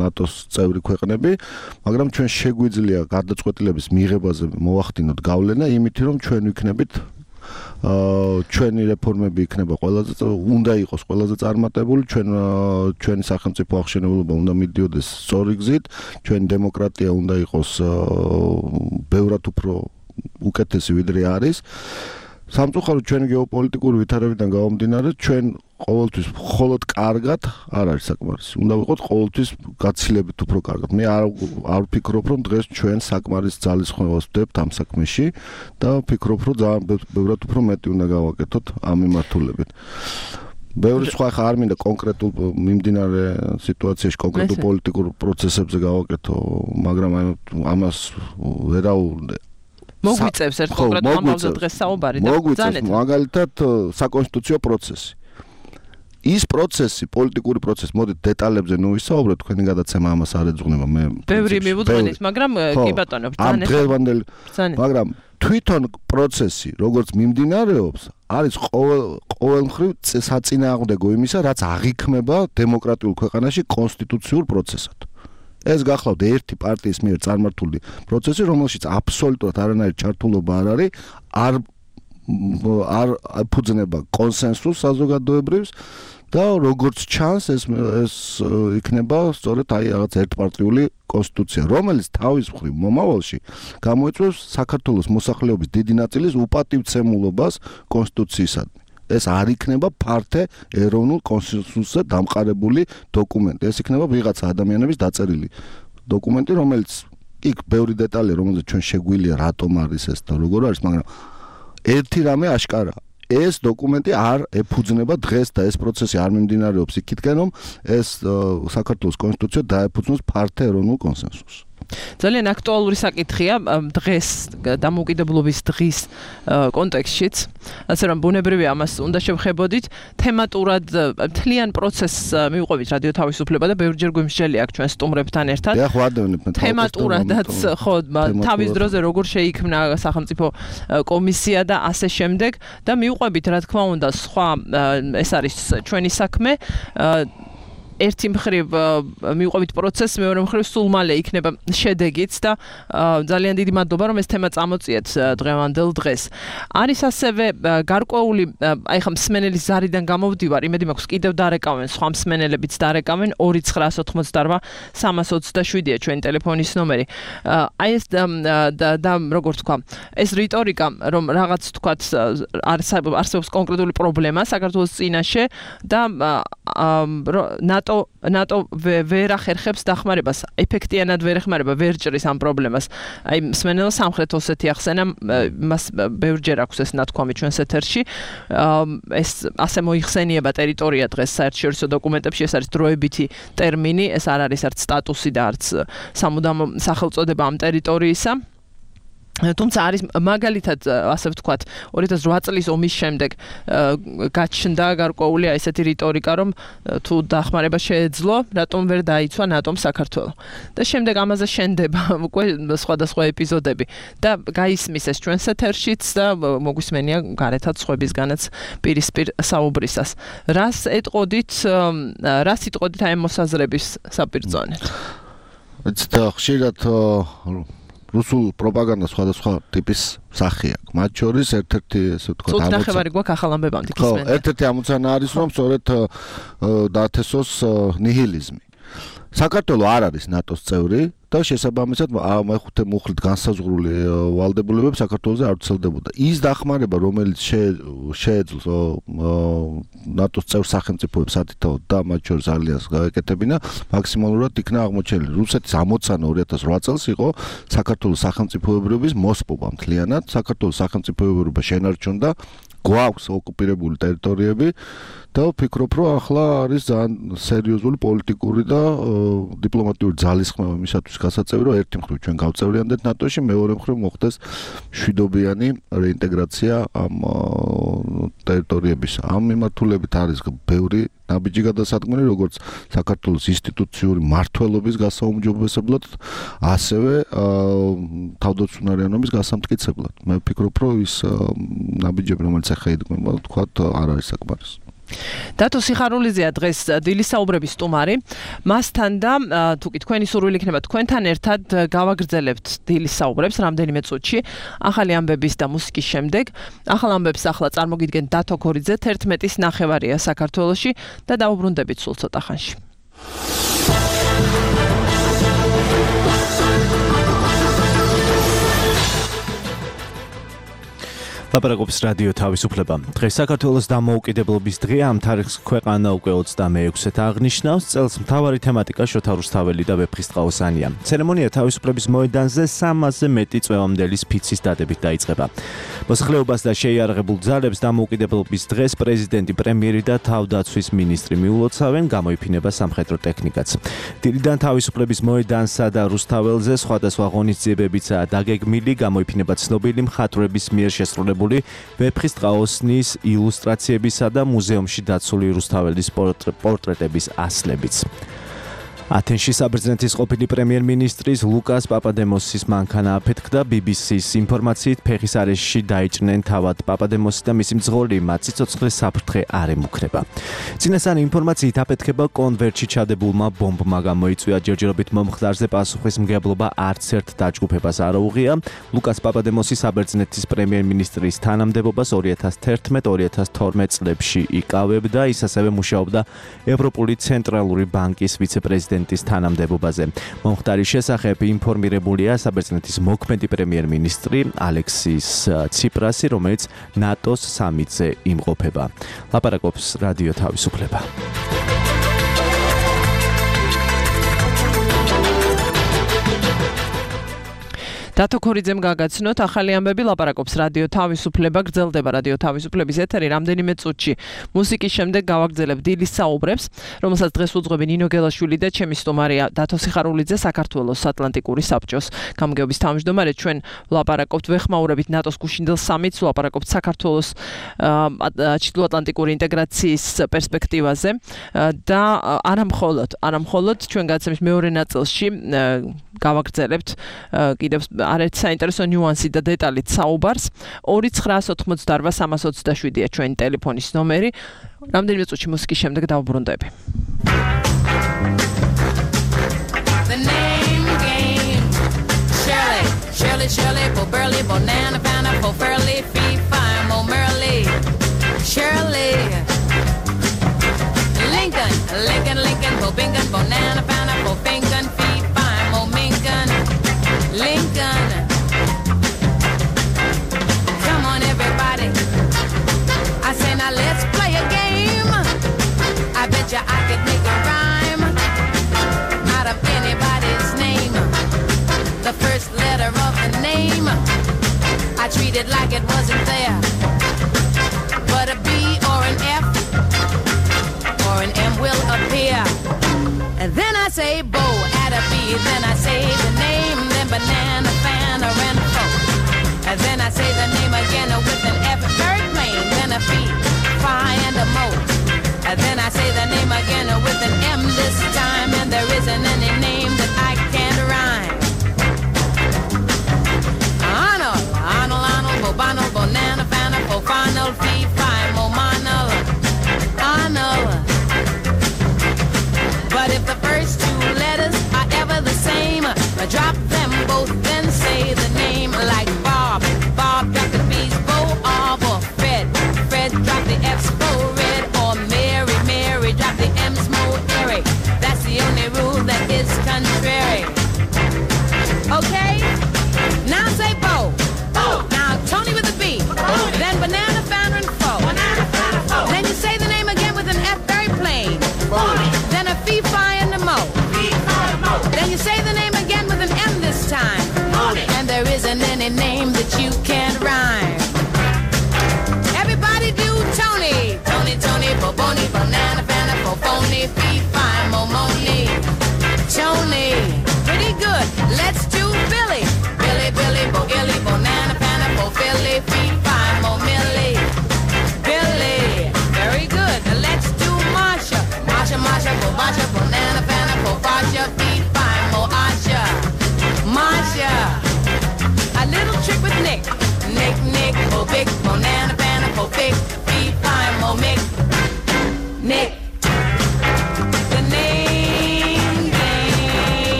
ნატოს წევრი ქვეყნები მაგრამ ჩვენ შეგვიძლია გადაწყვეტილების მიღებაზე მოვახდინოთ გავლენა იმით რომ ჩვენ ვიქნებით ჩვენი რეფორმები იქნება ყველაზე უნდა იყოს ყველაზე წარმატებული ჩვენი სახელმწიფო აღშენებულობა უნდა მიდიოდეს სწორი გზით ჩვენი დემოკრატია უნდა იყოს ბევრად უფრო უკეთესი ვიდრე არის სამწუხაროდ ჩვენი გეოპოლიტიკური ვითარებიდან გამომდინარე ჩვენ ყოველთვის მხოლოდ კარგად არ არის საკმარისი უნდა ვიყოთ ყოველთვის გაცილებით უფრო კარგად მე არ ვფიქრობ რომ დღეს ჩვენ საკმარის ძალისხმევას ვდებთ ამ საქმეში და ვფიქრობ რომ ძალიან ბევრად უფრო მეტი უნდა გავაკეთოთ ამ მიმართულებით ბევრი სხვა ხა არ მინდა კონკრეტულ მიმდინარე სიტუაციაში კონკრეტულ პოლიტიკურ პროცესებზე გავაკეთო მაგრამ ამას ვერაუნდე მოგვიწევს ერთ კონკრეტულ ამბავზე დღეს საუბარი და ბრძანეთ მაგალითად საკონსტიტუციო პროცესი ის პროცესი პოლიტიკური პროცესი მოდით დეტალებზე ნუ ვისაუბროთ თქვენი გადაცემა ამას არ ეძღვნება მე ბევრი მივუძღვენით მაგრამ კი ბატონო ბრძანეთ მაგრამ თვითონ პროცესი როგორც მიმდინარეობს არის ყოველ მხრივ საწინააღმდეგო იმისა რაც აღიქმება დემოკრატიულ ქვეყანაში კონსტიტუციურ პროცესად ეს გახლავთ ერთი პარტიის მიერ წარმართული პროცესი რომელშიც აბსოლუტურად არანაირი ჩართულობა არ არის არ ფუძნება კონსენსუსს საზოგადოებრივს და როგორც ჩანს ეს იქნება სწორედ აი რაღაც ერთპარტიული კონსტიტუცია რომელიც თავის მხრივ მომავალში გამოიწვევს საქართველოს მოსახლეობის დიდი ნაწილის უპატივცემულობას კონსტიტუციისადმი ეს არ იქნება ფართე ეროვნულ კონსენსუსზე დამყარებული დოკუმენტი ეს იქნება ვიღაცა ადამიანების დაწერილი დოკუმენტი რომელიც იქ ბევრი დეტალია რომელზეც ჩვენ შეგვიძლია რატომ არის ეს და როგორ არის მაგრამ ერთი რამე აშკარაა ეს დოკუმენტი არ ეფუძნება დღეს და ეს პროცესი არ მიმდინარეობს იქითკენ რომ ეს საქართველოს კონსტიტუცია დაეფუძნოს ფართე ეროვნულ კონსენსუსს ძალიან აქტუალური საკითხია დღეს დამოუკიდებლობის დღის კონტექსტშიც ასე რომ ბუნებრივია ამას უნდა შევხებოდით თემატურად მთლიან პროცესს მივყვებით რადიო თავისუფლება და ბევრჯერ გვიმსჯელი აქვს ჩვენ სტუმრებთან ერთად თემატურადაც ხო თავის დროზე როგორ შეიქმნა სახელმწიფო კომისია და ასე შემდეგ და მივყვებით რა თქმა უნდა სხვა ეს არის ჩვენი საქმე ერთი მხრივ მივყვებით პროცესს, მეორე მხრივ სულ მალე იქნება შედეგიც და ძალიან დიდი მადლობა რომ ეს თემა წამოწიეთ დღევანდელ დღეს. არის ასევე გარკვეული აი ხა მსმენელის ზარიდან გამოვდივარ, იმედი მაქვს კიდევ დარეკავენ სხვა მსმენელებიც დარეკავენ 2988327-ია ჩვენი ტელეფონის ნომერი. აი ეს და როგორ თქვა, ეს რიტორიკა რომ რაღაც თქვა არსებობს კონკრეტული პრობლემა საქართველოს წინაშე და ნატო ვერ ახერხებს დახმარებას, ეფექტიანად ვერ ეხმარება, ვერ ჭრის ამ პრობლემას. აი მსმენელს სამხრეთ ოსეთი ახსენა, მას ბევრჯერ აქვს ეს ნათქვამი ჩვენს ეთერში. ეს ასე მოიხსენიება ტერიტორია დღეს საერთაშორისო დოკუმენტებში, ეს არის დროებითი ტერმინი, ეს არ არის არც სტატუსი და არც სამუდამო სახელწოდება ამ ტერიტორიისა. თუმცა არის მაგალითად ასე ვთქვათ 2008 წლის ომის შემდეგ გაჩნდა გარკვეული ესეთი რიტორიკა რომ თუ დახმარება შეეძლო რატომ ვერ დაიცვა ნატომ საქართველო და შემდეგ ამაზე შენდება უკვე სხვადასხვა ეპიზოდები და გაისმის ეს ჩვენს ეთერშიც და მოგვისმენია გარეთაც სხვებისგანაც პირისპირ საუბრისას რას ეტყოდით აი მოსაზრების საპირწონეთ და ხშირად რუსულ პროპაგანდა სხვადასხვა ტიპის სახეა. მათ შორის ერთ-ერთი ესე ვთქვათ ამოცანა გვაქვს ახალ ამბებამდე გისმენთ. ერთ-ერთი ამოცანა არის რომ სწორედ დაათესოს ნიჰილიზმი. საქართველო არ არის ნატოს წევრი და შესაბამისად მეხუთე მუხლით განსაზღვრული ვალდებულებები საქართველოსზე არ ვრცელდებოდა. ის დახმარება, რომელიც შეეძლოს ნატოს წევრ სახელმწიფოებს ათითაოდ და მათ შორის ალიანსს გაეკეთებინა, მაქსიმალურად იქნა აღმოჩენილი. რუსეთის ამოცანა 2008 წელს იყო საქართველოს სახელმწიფოებრიობის მოსპობა მთლიანად. საქართველოს სახელმწიფოებრიობა შენარჩუნდა, გვაქვს ოკუპირებული ტერიტორიები და ვფიქრობ, რომ ახლა არის ძალიან სერიოზული პოლიტიკური და დიპლომატიური ძალისხმევა იმისათვის გასაწევი, რომ ერთი მხრივ ჩვენ გავწევრიანდეთ ნატოში, მეორე მხრივ მოხდეს მშვიდობიანი რეინტეგრაცია ამ ტერიტორიების. ამ მიმართულებით არის ბევრი ნაბიჯი გადასადგმელი, როგორც საქართველოს ინსტიტუციური მმართველობის გასაუმჯობესებლად, ასევე თავდაცვიანობის გასამტკიცებლად. მე ვფიქრობ, რომ ის ნაბიჯები, რომელიც ახლა იდგმება, თქვათ, არ არის საკმარისი. დათო სიხარულიძეა დღეს დილის საუბრების სტუმარი. მასთან და თუკი თქვენი სურვილი იქნება თქვენთან ერთად გავაგრძელებთ დილის საუბრებს რამდენიმე წუთში ახალი ამბების და მუსიკის შემდეგ. ახალ ამბებს ახლა წარმოგიდგენთ დათო ქორიძე 11-ის ნახევარია საქართველოში და დაუბრუნდებით სულ ცოტა ხანში. ლაპარაკობს რადიო თავისუფლება. დღეს საქართველოს დამოუკიდებლობის დღეა, ამ თარიღს ქვეყანა უკვე 26-ით აღნიშნავს. წელს მთავარი თემატიკა შოთა რუსთაველი და ვეფხისტყაოსანია. ცერემონია თავისუფლების მოედანზე 300-ზე მეტი წვევამდელის ფიცის დადებით დაიწყება. მოსახლეობას და შეიარაღებულ ძალებს დამოუკიდებლობის დღეს პრეზიდენტი, პრემიერი და თავდაცვის მინისტრი მიულოცავენ, გამოიფინება სამხედრო ტექნიკაც. დილიდან თავისუფლების მოედანსა და რუსთაველზე სხვადასხვა ღონისძიებებიცაა დაგეგმილი, გამოიფინება ცნობილი მხატვრების მიერ შესრულებული ვეფხისტყაოსნის ილუსტრაციებისა და მუზეუმში დაცული რუსთაველის პორტრეტების ასლებიც. ათენში საბერძნეთის ყოფილი პრემიერ-მინისტრის ლუკას პაპადემოსის მანქანა აფეთქდა. BBC-ს ინფორმაციით ფეხის არეშში დაიჭრნენ თავად პაპადემოსი და მისი მძღოლი, მათ სიცოცხლეს საფრთხე არ ემუქრება. წინასწარი ინფორმაციით აფეთქება კონვერტში ჩადებულმა ბომბმა გამოიწვია. ჯერჯერობით მომხდარზე პასუხისმგებლობა არც ერთ დაჯგუფებას არ აუღია. ლუკას პაპადემოსი საბერძნეთის პრემიერ-მინისტრის თანამდებობას 2011-2012 წლებში იკავებდა. ის ასევე მუშაობდა ევროპული ცენტრალური ბანკის ვიცე-პრეზიდენტის თანამდებობაზე. მომხდარის შესახებ ინფორმირებულია საბერძნეთის მოქმედი პრემიერ-მინისტრი ალექსის ციპრასი, რომელიც ნატოს სამიტზე იმყოფება. ლაპარაკობს რადიო თავისუფლება. დათო ქორიძემ გაგაცნოთ ახალი ამბები, ლაპარაკობს რადიო თავისუფლება, გრძელდება რადიო თავისუფლების ეთერი რამდენიმე წუთში. მუსიკის შემდეგ გავაგრძელებ დილის საუბრებს, რომელსაც დღეს უძღვები ნინო გელაშვილი და ჩემი სტუმარია დათო სიხარულიძე, საქართველოს ატლანტიკური საბჭოს გამგეობის თავმჯდომარე. ჩვენ ვლაპარაკობთ ვეხმაურებით ნატოს გუშინდელ სამიტს, ვლაპარაკობთ საქართველოს ჩრდილოატლანტიკური ინტეგრაციის პერსპექტივაზე და არამხოლოდ ჩვენ გადაცემის მეორე ნაწილში გავაგრძელებთ კიდევ არც საინტერესო ნიუანსი და დეტალით საუბარს. 2988327-ია ჩვენი ტელეფონის ნომერი. რამდენიმე წუთში მუსიკის შემდეგ დავუბრუნდები. The name game Shirley, Shirley, for Burley, Bonana, Fana, for Furley, Fee, Fine, Mo, Merly, Shirley, Lincoln, for Bingham, Bonana, Fana, for Fingon, Fee, Fine, Mo, Mingon, Lincoln. Come on, everybody. I say now let's play a game. I bet you I could make a rhyme out of anybody's name. The first letter of the name I treat it like it wasn't there. But a B or an F or an M will appear. And then I say Bo, add a B, then I say the name, then banana, fan, or and fo. And then I say the name again with an F, very plain, then a B, Phi, and a Mo. And then I say the name again with an M this time, and there isn't any name that I can't rhyme. Arnold, Bobano, Bonana, Fana, Fofanal, Fee, Phi, Momanal, Arnold. But if the first two letters are ever the same, drop them both, then say the name like Bob. Bob, drop the B's, Bo, or Fred. Fred, drop the F's, Bo, Red, or Mary. Mary, drop the M's, Mo, Eric. That's the only rule that is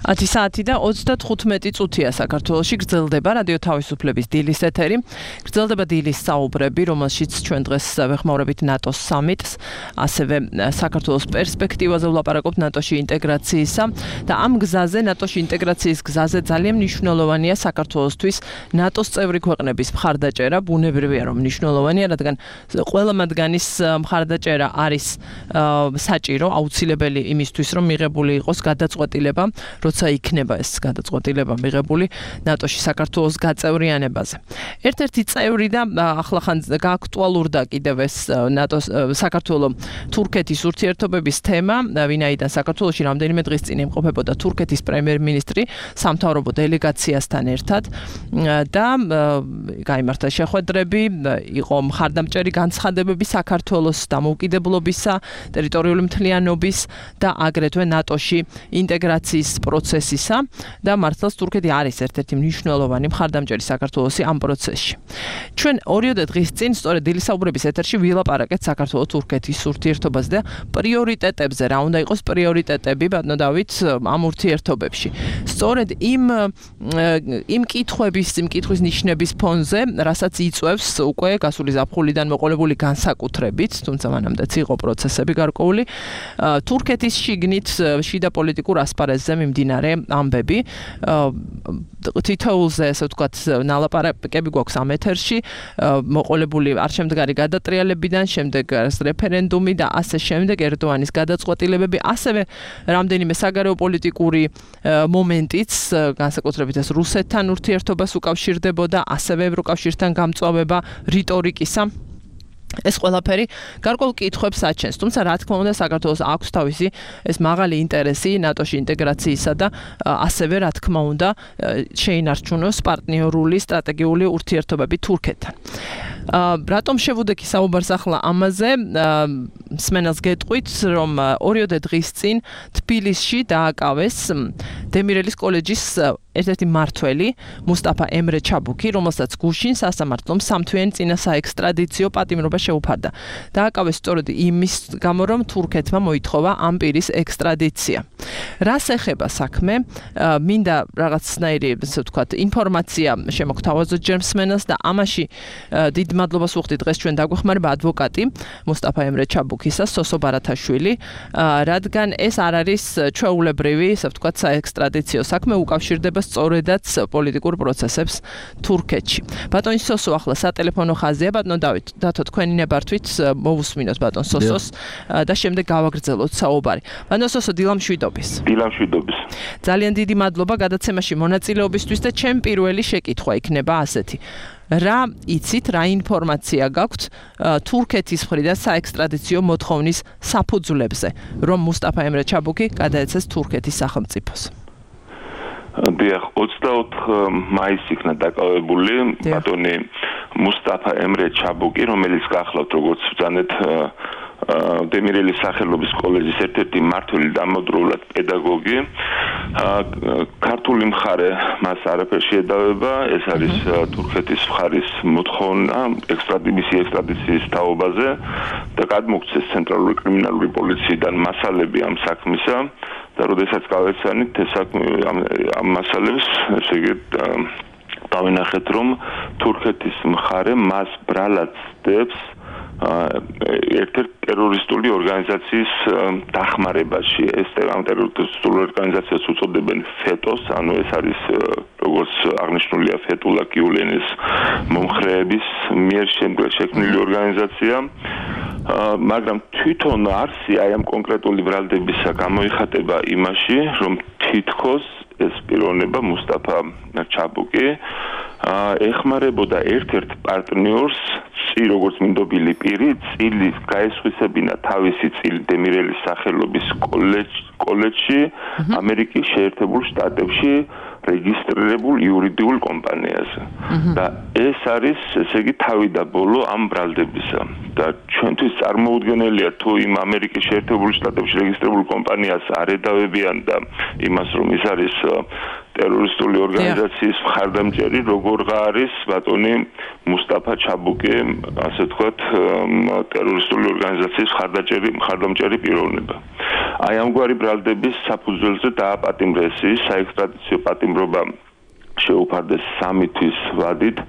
10 საათი და 35 წუთია საქართველოში გრძელდება რადიო თავისუფლების დილის ეთერი. გრძელდება დილის საუბრები, რომელშიც ჩვენ დღეს ვეხმაურებით ნატოს სამიტს, ასევე საქართველოს პერსპექტივაზე ვლაპარაკობთ ნატოში ინტეგრაციისა და ამ გზაზე, ნატოში ინტეგრაციის გზაზე ძალიან მნიშვნელოვანია საქართველოსთვის ნატოს წევრი ქვეყნების მხარდაჭერა, ბუნებრივია რომ მნიშვნელოვანია, რადგან ყველა მათგანის მხარდაჭერა არის საჭირო, აუცილებელი იმისთვის, რომ მიღებული იყოს გადაწყვეტილება, როცა იქნება ეს გადაწყვეტილება მიღებული ნატოში საქართველოს გაწევრიანებაზე. ერთ-ერთი წევრი და ახლახან გააქტუალურდა კიდევ ეს ნატოს საქართველოს თურქეთის ურთიერთობების თემა, ვინაიდან საქართველოში რამდენიმე დღის წინ იმყოფებოდა თურქეთის პრემიერ-მინისტრი სამთავრობო დელეგაციასთან ერთად და გაიმართა შეხვედრები, იყო მხარდამჭერი განცხადებები საქართველოს დამოუკიდებლობისა, ტერიტორიული მთლიანობის და აგრეთვე ნატოში ინტეგრაციის პროცესისა და მართლაც თურქეთი არის ერთ-ერთი მნიშვნელოვანი მხარდამჭერი საქართველოსი ამ პროცესში. ჩვენ 2 დღის წინ სწორედ დილის საუბრების ეთერში ვილაპარაკეთ საქართველოს-თურქეთის ურთიერთობაზე და პრიორიტეტებზე, რა უნდა იყოს პრიორიტეტები, ბატონო დავით, ამ ურთიერთობებში. სწორედ იმ კითხვის ნიშნების ფონზე, რასაც იწვევს უკვე გასული ზაფხულიდან მოყოლებული განსაკუთრებით, თუმცა მანამდეც იყო პროცესები გარკვეული, თურქეთის შიგნით შიდა პოლიტიკურ ასპარეზზე მიმდინარე ამბები, თითოეულზე, ასე ვთქვათ, ნალაპარაკები გვაქვს ამ ეთერში, მოყოლებული არჩევანდგარი გადატრიალებიდან, შემდეგ რეფერენდუმი და ასე შემდეგ ერდოანის გადაწყვეტილებები, ასევე რამდენიმე საგარეო პოლიტიკური მომენტიც, განსაკუთრებით ეს რუსეთთან ურთიერთობას უკავშირდებოდა, ასევე ევროკავშირთან გამწვავება რიტორიკისა. ეს ყველაფერი გარკვეულ კითხვებს აჩენს, თუმცა რა თქმა უნდა საქართველოს აქვს თავისი ეს მაღალი ინტერესი ნატოში ინტეგრაციისა და ასევე რა თქმა უნდა შეინარჩუნოს პარტნიორული სტრატეგიული ურთიერთობები თურქეთთან. რატომ შევუდექი საუბარს ახლა ამაზე? მსმენელს გეტყვით, რომ 2 დღის წინ თბილისში დააკავეს დემირელის კოლეჯის ერთ-ერთი მმართველი მუსტაფა ემრე ჩაბუკი, რომელსაც გუშინ სასამართლომ სამთვიანი წინა საექსტრადიციო პატიმრობა შეუფარდა. დააკავეს სწორედ იმის გამო, რომ თურქეთმა მოითხოვა ამ პირის ექსტრადიცია. რას ეხება საქმე? მინდა რაღაცნაირი, ასე ვთქვათ, ინფორმაცია შემოგთავაზოთ ჯერ მსმენელს და ამაში დიდ მადლობას ვუხდით დღეს ჩვენ დაგვეხმარება ადვოკატი მუსტაფა ემრე ჩაბუკისა, სოსო ბარათაშვილი, რადგან ეს არ არის ჩვეულებრივი, ასე ვთქვათ, საექსტრადიციო საქმე, უკავშირდება სწორედაც პოლიტიკურ პროცესებს თურქეთში. ბატონი სოსო ახლა სატელეფონო ხაზია, ბატონო დავით, დათო თქვენი ნებართვით მოვუსმინოთ ბატონ სოსოს და შემდეგ გავაგრძელოთ საუბარი. ბატონო სოსო, დილამშვიდობის. დილამშვიდობის. ძალიან დიდი მადლობა გადაცემაში მონაწილეობისთვის და ჩემ პირველი შეკითხვა იქნება ასეთი. რა იცით, რა ინფორმაცია გაქვთ თურქეთის მხრიდან საექსტრადიციო მოთხოვნის საფუძვლებზე, რომ მუსტაფა ემრე ჩაბუკი გადაეცეს თურქეთის სახელმწიფოს? დიახ, 24 მაისს იქნა დაკავებული ბატონი მუსტაფა ემრე ჩაბუკი, რომელიც გახლავთ როგორც ბრძანეთ დემირელის სახელობის კოლეჯის ერთ-ერთი მმართველი დამოუკიდებლად პედაგოგი. ქართული მხარე მას არაფერს შეედავება, ეს არის თურქეთის მხარის მოთხოვნა ექსტრადიციის თაობაზე და გადმოგცეს ცენტრალური კრიმინალური პოლიციიდან მასალები ამ საქმისა და როდესაც გავეცანით ეს ამ მასალებს, ესე იგი დავინახეთ, რომ თურქეთის მხარე მას ბრალად ცდებს ერთ-ერთი ტერორისტული ორგანიზაციის დახმარებაში. ეს ტერორისტული ორგანიზაციას უწოდებენ ფეტოს, ანუ ეს არის როგორც აღნიშნულია ფეტულა გიულენის მომხრეების მიერ შექმნილი ორგანიზაცია. მაგრამ თვითონ არსი აი ამ კონკრეტული ბრალდებისა გამოიხატება იმაში, რომ თითქოს ეს პიროვნება მუსტაფა ჩაბუკი ეხმარებოდა ერთ-ერთ პარტნიორს, როგორც მინდობილი პირი, წილის გაესხვისებინა თავისი წილი დემირელის სახელობის კოლეჯში ამერიკის შეერთებულ შტატებში რეგისტრირებულ იურიდიულ კომპანიაზე. და ეს არის, ესე იგი, თავი და ბოლო ამ ბრალდებისა. და ჩვენთვის წარმოუდგენელია თუ იმ ამერიკის შეერთებულ შტატებში რეგისტრირებულ კომპანიას არ ედავებიან და იმას, რომ ის არის ტერორისტული ორგანიზაციის მხარდამჭერი, როგორღა არის ბატონი მუსტაფა ჩაბუკი, ასე ვთქვათ, ტერორისტული ორგანიზაციის მხარდამჭერი პიროვნება. აი ამგვარი ბრალდების საფუძველზე დააპატიმრეს ის საექსტრადიციო პატიმრობა შეუფარდეს 3 თვის ვადით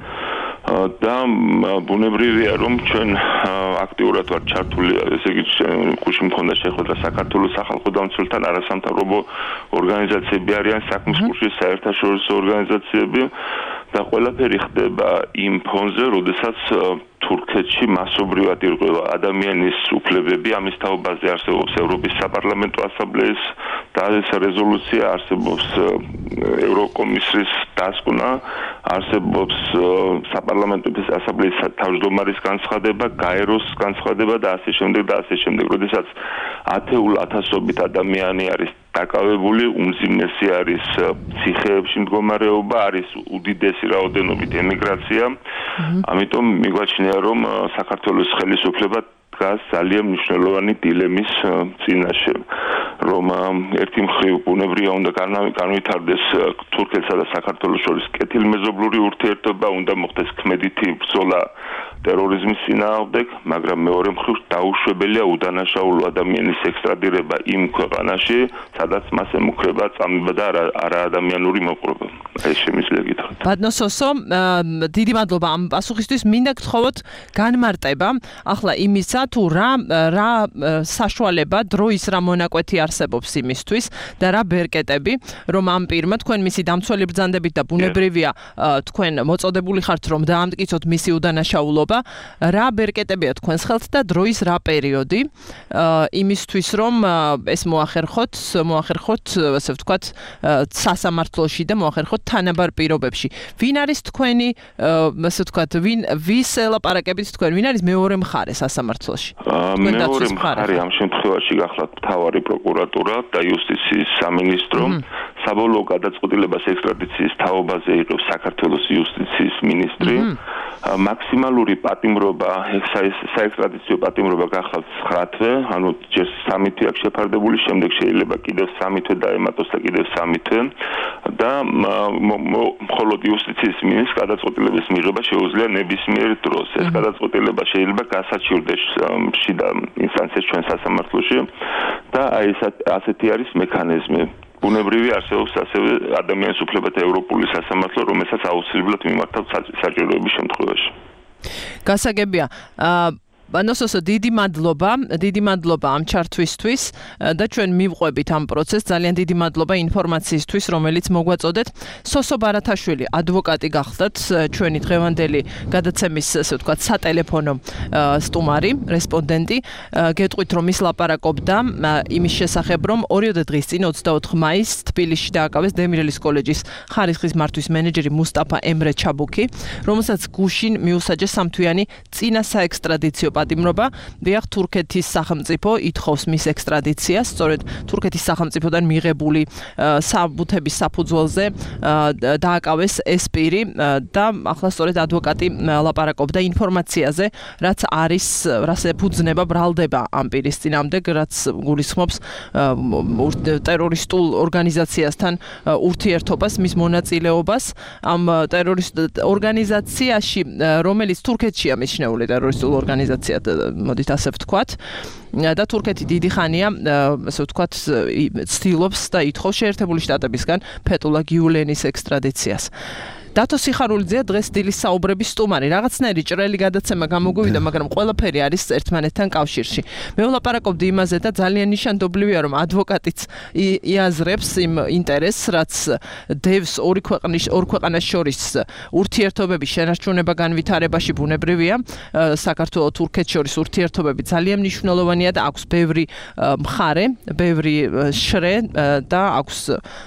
და ბუნებრივია რომ ჩვენ აქტიურად ვართ ჩართული ესე იგი გუშინ მქონდა შეხვედრა საქართველოს სახალხო დამცველთან არასამთავრობო ორგანიზაციები არიან საქმის კურსის საერთაშორისო ორგანიზაციები და ყველაფერი ხდება იმ ფონზე როდესაც თურქეთში მასობრივად ირღვევა ადამიანის უფლებები ამის თაობაზე არსებობს ევროპის საპარლამენტო ასამბლეის და ეს რეზოლუცია არსებობს ევროკომისიის დასკვნა არსებობს საპარლამენტო ასამბლეის თავმჯდომარის განცხადება გაეროს განცხადება და ასე შემდეგ როდესაც ათეულ ათასობით ადამიანი არის დაკავებული უმძიმესი არის ციხეებში მდგომარეობა არის უდიდესი რაოდენობით ემიგრაცია ამიტომ მიგვაჩნია რომ საქართველოს ხელისუფლება დგას ძალიან მნიშვნელოვანი დილემის წინაშე რომ ერთი მხრივ ბუნებრივია უნდა განვითარდეს თურქეთსა და საქართველოს შორის კეთილმეზობლური ურთიერთობა უნდა მოხდეს ქმედითი ბრძოლა ტერორიზმის წინააღმდეგ მაგრამ მეორე მხრივ დაუშვებელია უდანაშაულო ადამიანის ექსტრადირება იმ ქვეყანაში სადაც მას ემუქრება წამება და არაადამიანური მოპყრობა ეს შემიძლია გითხრათ ბატონო სოსო დიდი მადლობა ამ პასუხისთვის მინდა გთხოვოთ განმარტება ახლა იმისა თუ რა საშუალება დროის რა მონაკვეთი არსებობს იმისთვის და რა ბერკეტები რომ ამ პირმა თქვენ მისი დამცველი ბრძანდებით და ბუნებრივია თქვენ მოწოდებული ხართ რომ დაამტკიცოთ მისი უდანაშაულობა რა ბერკეტებია თქვენს ხელთ და დროის რა პერიოდი იმისთვის რომ ეს მოახერხოთ ასე ვთქვათ სასამართლოში და მოახერხოთ თანაბარ პირობებში ვინ არის თქვენი ასე ვთქვათ ვის ელაპარაკებით თქვენ ვინ არის მეორე მხარე სასამართლოში მეორე მხარე ამ შემთხვევაში გახლავთ მთავარი პროკურატურა და იუსტიციის სამინისტრო საბოლოო გადაწყვეტილებას ექსტრადიციის თაობაზე იღებს საქართველოს იუსტიციის მინისტრი მაქსიმალური პატიმრობა საექსტრადიციო პატიმრობა გახლავთ 9 თვე ანუ ჯერ 3 თვე აქვს შეფარდებული შემდეგ შეიძლება კიდევ 3 თვე დაემატოს და კიდევ 3 თვე და მხოლოდ იუსტიციის მინისტრს გადაწყვეტილების მიღება შეუძლია ნებისმიერ დროს ეს გადაწყვეტილება შეიძლება გასაჩივრდეს შიდა ინსტანციის ჩვენ სასამართლოში და აი ასეთი არის მექანიზმი ბუნებრივი არსებობს ასევე ადამიანის უფლებათა ევროპული სასამართლო რომელსაც აუცილებლად მიმართავთ საჭიროების შემთხვევაში გასაგებია ბანოსოსო დიდი მადლობა ამ ჩართვისთვის და ჩვენ მივყვებით ამ პროცესს ძალიან დიდი მადლობა ინფორმაციისთვის რომელიც მოგვაწოდეთ სოსო ბარათაშვილი ადვოკატი გახლდათ ჩვენი დღევანდელი გადაცემის ასე ვთქვათ სატელეფონო სტუმარი რესპონდენტი გეტყვით რომ ის ლაპარაკობდა იმის შესახებ რომ 2 დღის წინ 24 მაისს თბილისში დააკავეს დემირელის კოლეჯის ხარისხის მართვის მენეჯერი მუსტაფა ემრე ჩაბუქი რომელსაც გუშინ მიუსაჯეს სამთვიანი წინა საექსტრადიციო პატიმრობა დიახ თურქეთის სახელმწიფო ითხოვს მის ექსტრადიციას სწორედ თურქეთის სახელმწიფოდან მიღებული საბუთების საფუძველზე დააკავეს ეს პირი და ახლა სწორედ ადვოკატი ლაპარაკობდა ინფორმაციაზე რაც არის რას ეფუძნება ბრალდება ამ პირის წინამდე რაც გულისხმობს ტერორისტულ ორგანიზაციასთან ურთიერთობას მის მონაწილეობას ამ ტერორისტ ორგანიზაციაში რომელიც თურქეთშია მიჩნეული ტერორისტულ ორგანიზაციად მოდით ასე ვთქვათ და თურქეთი დიდი ხანია ასე ვთქვათ ცდილობს და ითხოვს შეერთებული შტატებისგან ფეტულა გიულენის ექსტრადიციას დათო სიხარულიძეა დღეს დილის საუბრების სტუმარი. რაღაცნაირი ჭრელი გადაცემა გამოგვივიდა, მაგრამ ყველაფერი არის ერთმანეთთან კავშირში. მე ვლაპარაკობდი იმაზე და ძალიან ნიშანდობლივია, რომ ადვოკატიც იაზრებს იმ ინტერესს, რაც დევს ორი ქვეყანას შორის ურთიერთობების შენარჩუნება განვითარებაში ბუნებრივია. საქართველოს თურქეთს შორის ურთიერთობები ძალიან მნიშვნელოვანია და აქვს ბევრი მხარე, ბევრი შრე და აქვს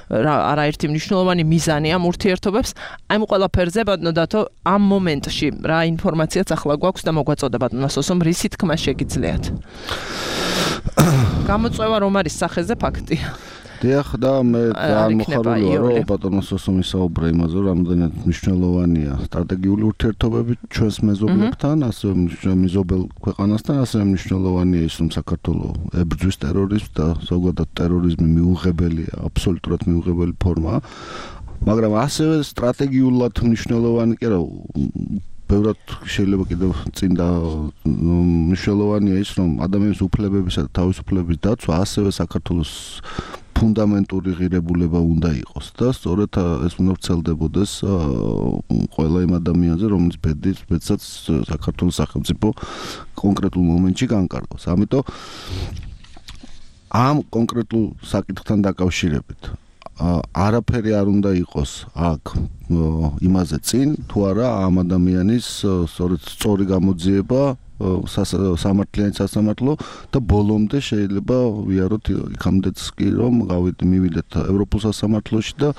არაერთი მნიშვნელოვანი მიზანი ამ ურთიერთობებს. ამ ყველაფერზე ბატონო დათო ამ მომენტში რა ინფორმაციაც ახლა გვაქვს და მოგვაწოდა ბატონო სოსომ რისი თქმა შეგიძლიათ გამოწვევა რომ არის სახეზე ფაქტია დიახ და მე ამოხარულია რომ ბატონო სოსომი საუბრა იმაზე რომ რამდენად მნიშვნელოვანია სტრატეგიული ურთიერთობები ჩვენს მეზობლებთან ასევე მეზობელ ქვეყანასთან ასევე მნიშვნელოვანია ის რომ საქართველოს ებრძვის ტერორიზმს და ზოგადად ტერორიზმი მიუღებელია აბსოლუტურად მიუღებელი ფორმაა მაგრამ ასევე სტრატეგიულად მნიშვნელოვანი კი რა ბევრად შეიძლება კიდევ წინ და მნიშვნელოვანია ის, რომ ადამიანის უფლებებისა და თავისუფლების დაცვა ასევე საქართველოს ფუნდამენტური ღირებულება უნდა იყოს და სწორედ ეს უნდა ვრცელდებოდეს ყველა იმ ადამიანზე, რომელიც ბედსაც საქართველოს სახელმწიფო კონკრეტულ მომენტში განკარგავს. ამიტომ ამ კონკრეტულ საკითხთან დაკავშირებით არაფერი არ უნდა იყოს აქ იმაზე წინ თუ არა ამ ადამიანის სწორი გამოძიება სამართლიანი სასამართლო და ბოლომდე შეიძლება ვიაროთ იქამდეც კი რომ მივიდეთ ევროპულ სასამართლოში და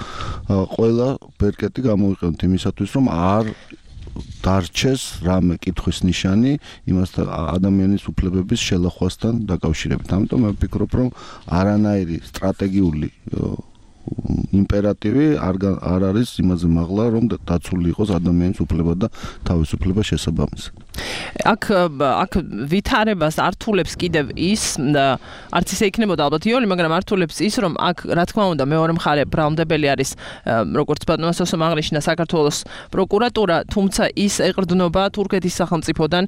ყველა ბერკეტი გამოვიყენოთ იმისათვის რომ არ დარჩეს რამე კითხვის ნიშანი იმასთან ადამიანის უფლებების შელახვასთან დაკავშირებით. ამიტომ მე ვფიქრობ რომ არანაირი სტრატეგიული იმპერატივი არ არის იმაზე მაღლა რომ დაცული იყოს ადამიანის უფლება და თავისუფლება შესაბამისად. აქ ვითარებას ართულებს კიდევ ის არც ისე იქნებოდა ალბათ იოლი, მაგრამ ართულებს ის რომ აქ რა თქმა უნდა მეორე მხარე ბრალმდებელი არის როგორც ბატონო სოსომ აღნიშნა საქართველოს პროკურატურა, თუმცა ის ეყრდნობა თურქეთის სახელმწიფოდან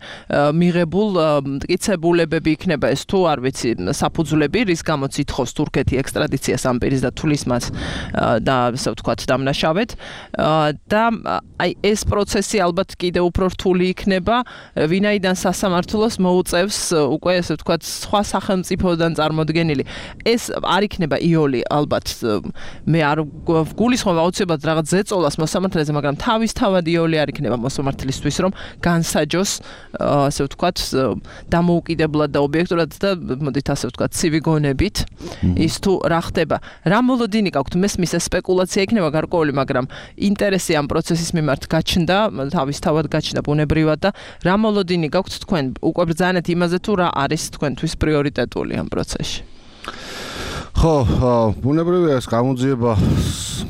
მიღებულ მტკიცებულებები იქნება ეს თუ არ ვიცი საფუძვლები რის გამოც ითხოვს თურქეთი ექსტრადიციას ამ პირის და თulis მას და ასე ვთქვათ დამნაშავედ და აი ეს პროცესი ალბათ კიდევ უფრო რთული იქნება ვინაიდან სასამართლოს მოუწევს უკვე ასე ვთქვათ სხვა სახელმწიფოდან წარმოდგენილი ეს არ იქნება იოლი ალბათ მე არ გულისხმობ აუცილებლად რაღაც ზეწოლას მოსამართლეზე მაგრამ თავისთავად იოლი არ იქნება მოსამართლისთვის რომ განსაჯოს ასე ვთქვათ დამოუკიდებლად და ობიექტურად და მოდით ასე ვთქვათ ცივი გონებით ის თუ რა ხდება რა მოლოდინი გაქვთ მესმის ეს სპეკულაცია იქნება გარკვეული მაგრამ ინტერესი ამ პროცესის მიმართ გაჩნდა თავისთავად გაჩნდა ბუნებრივად და რა მოლოდინი გაქვთ თქვენ უკვე ბრძანეთ იმაზე თუ რა არის თქვენთვის პრიორიტეტული ამ პროცესში ხო ბუნებრივია ეს გამოძიება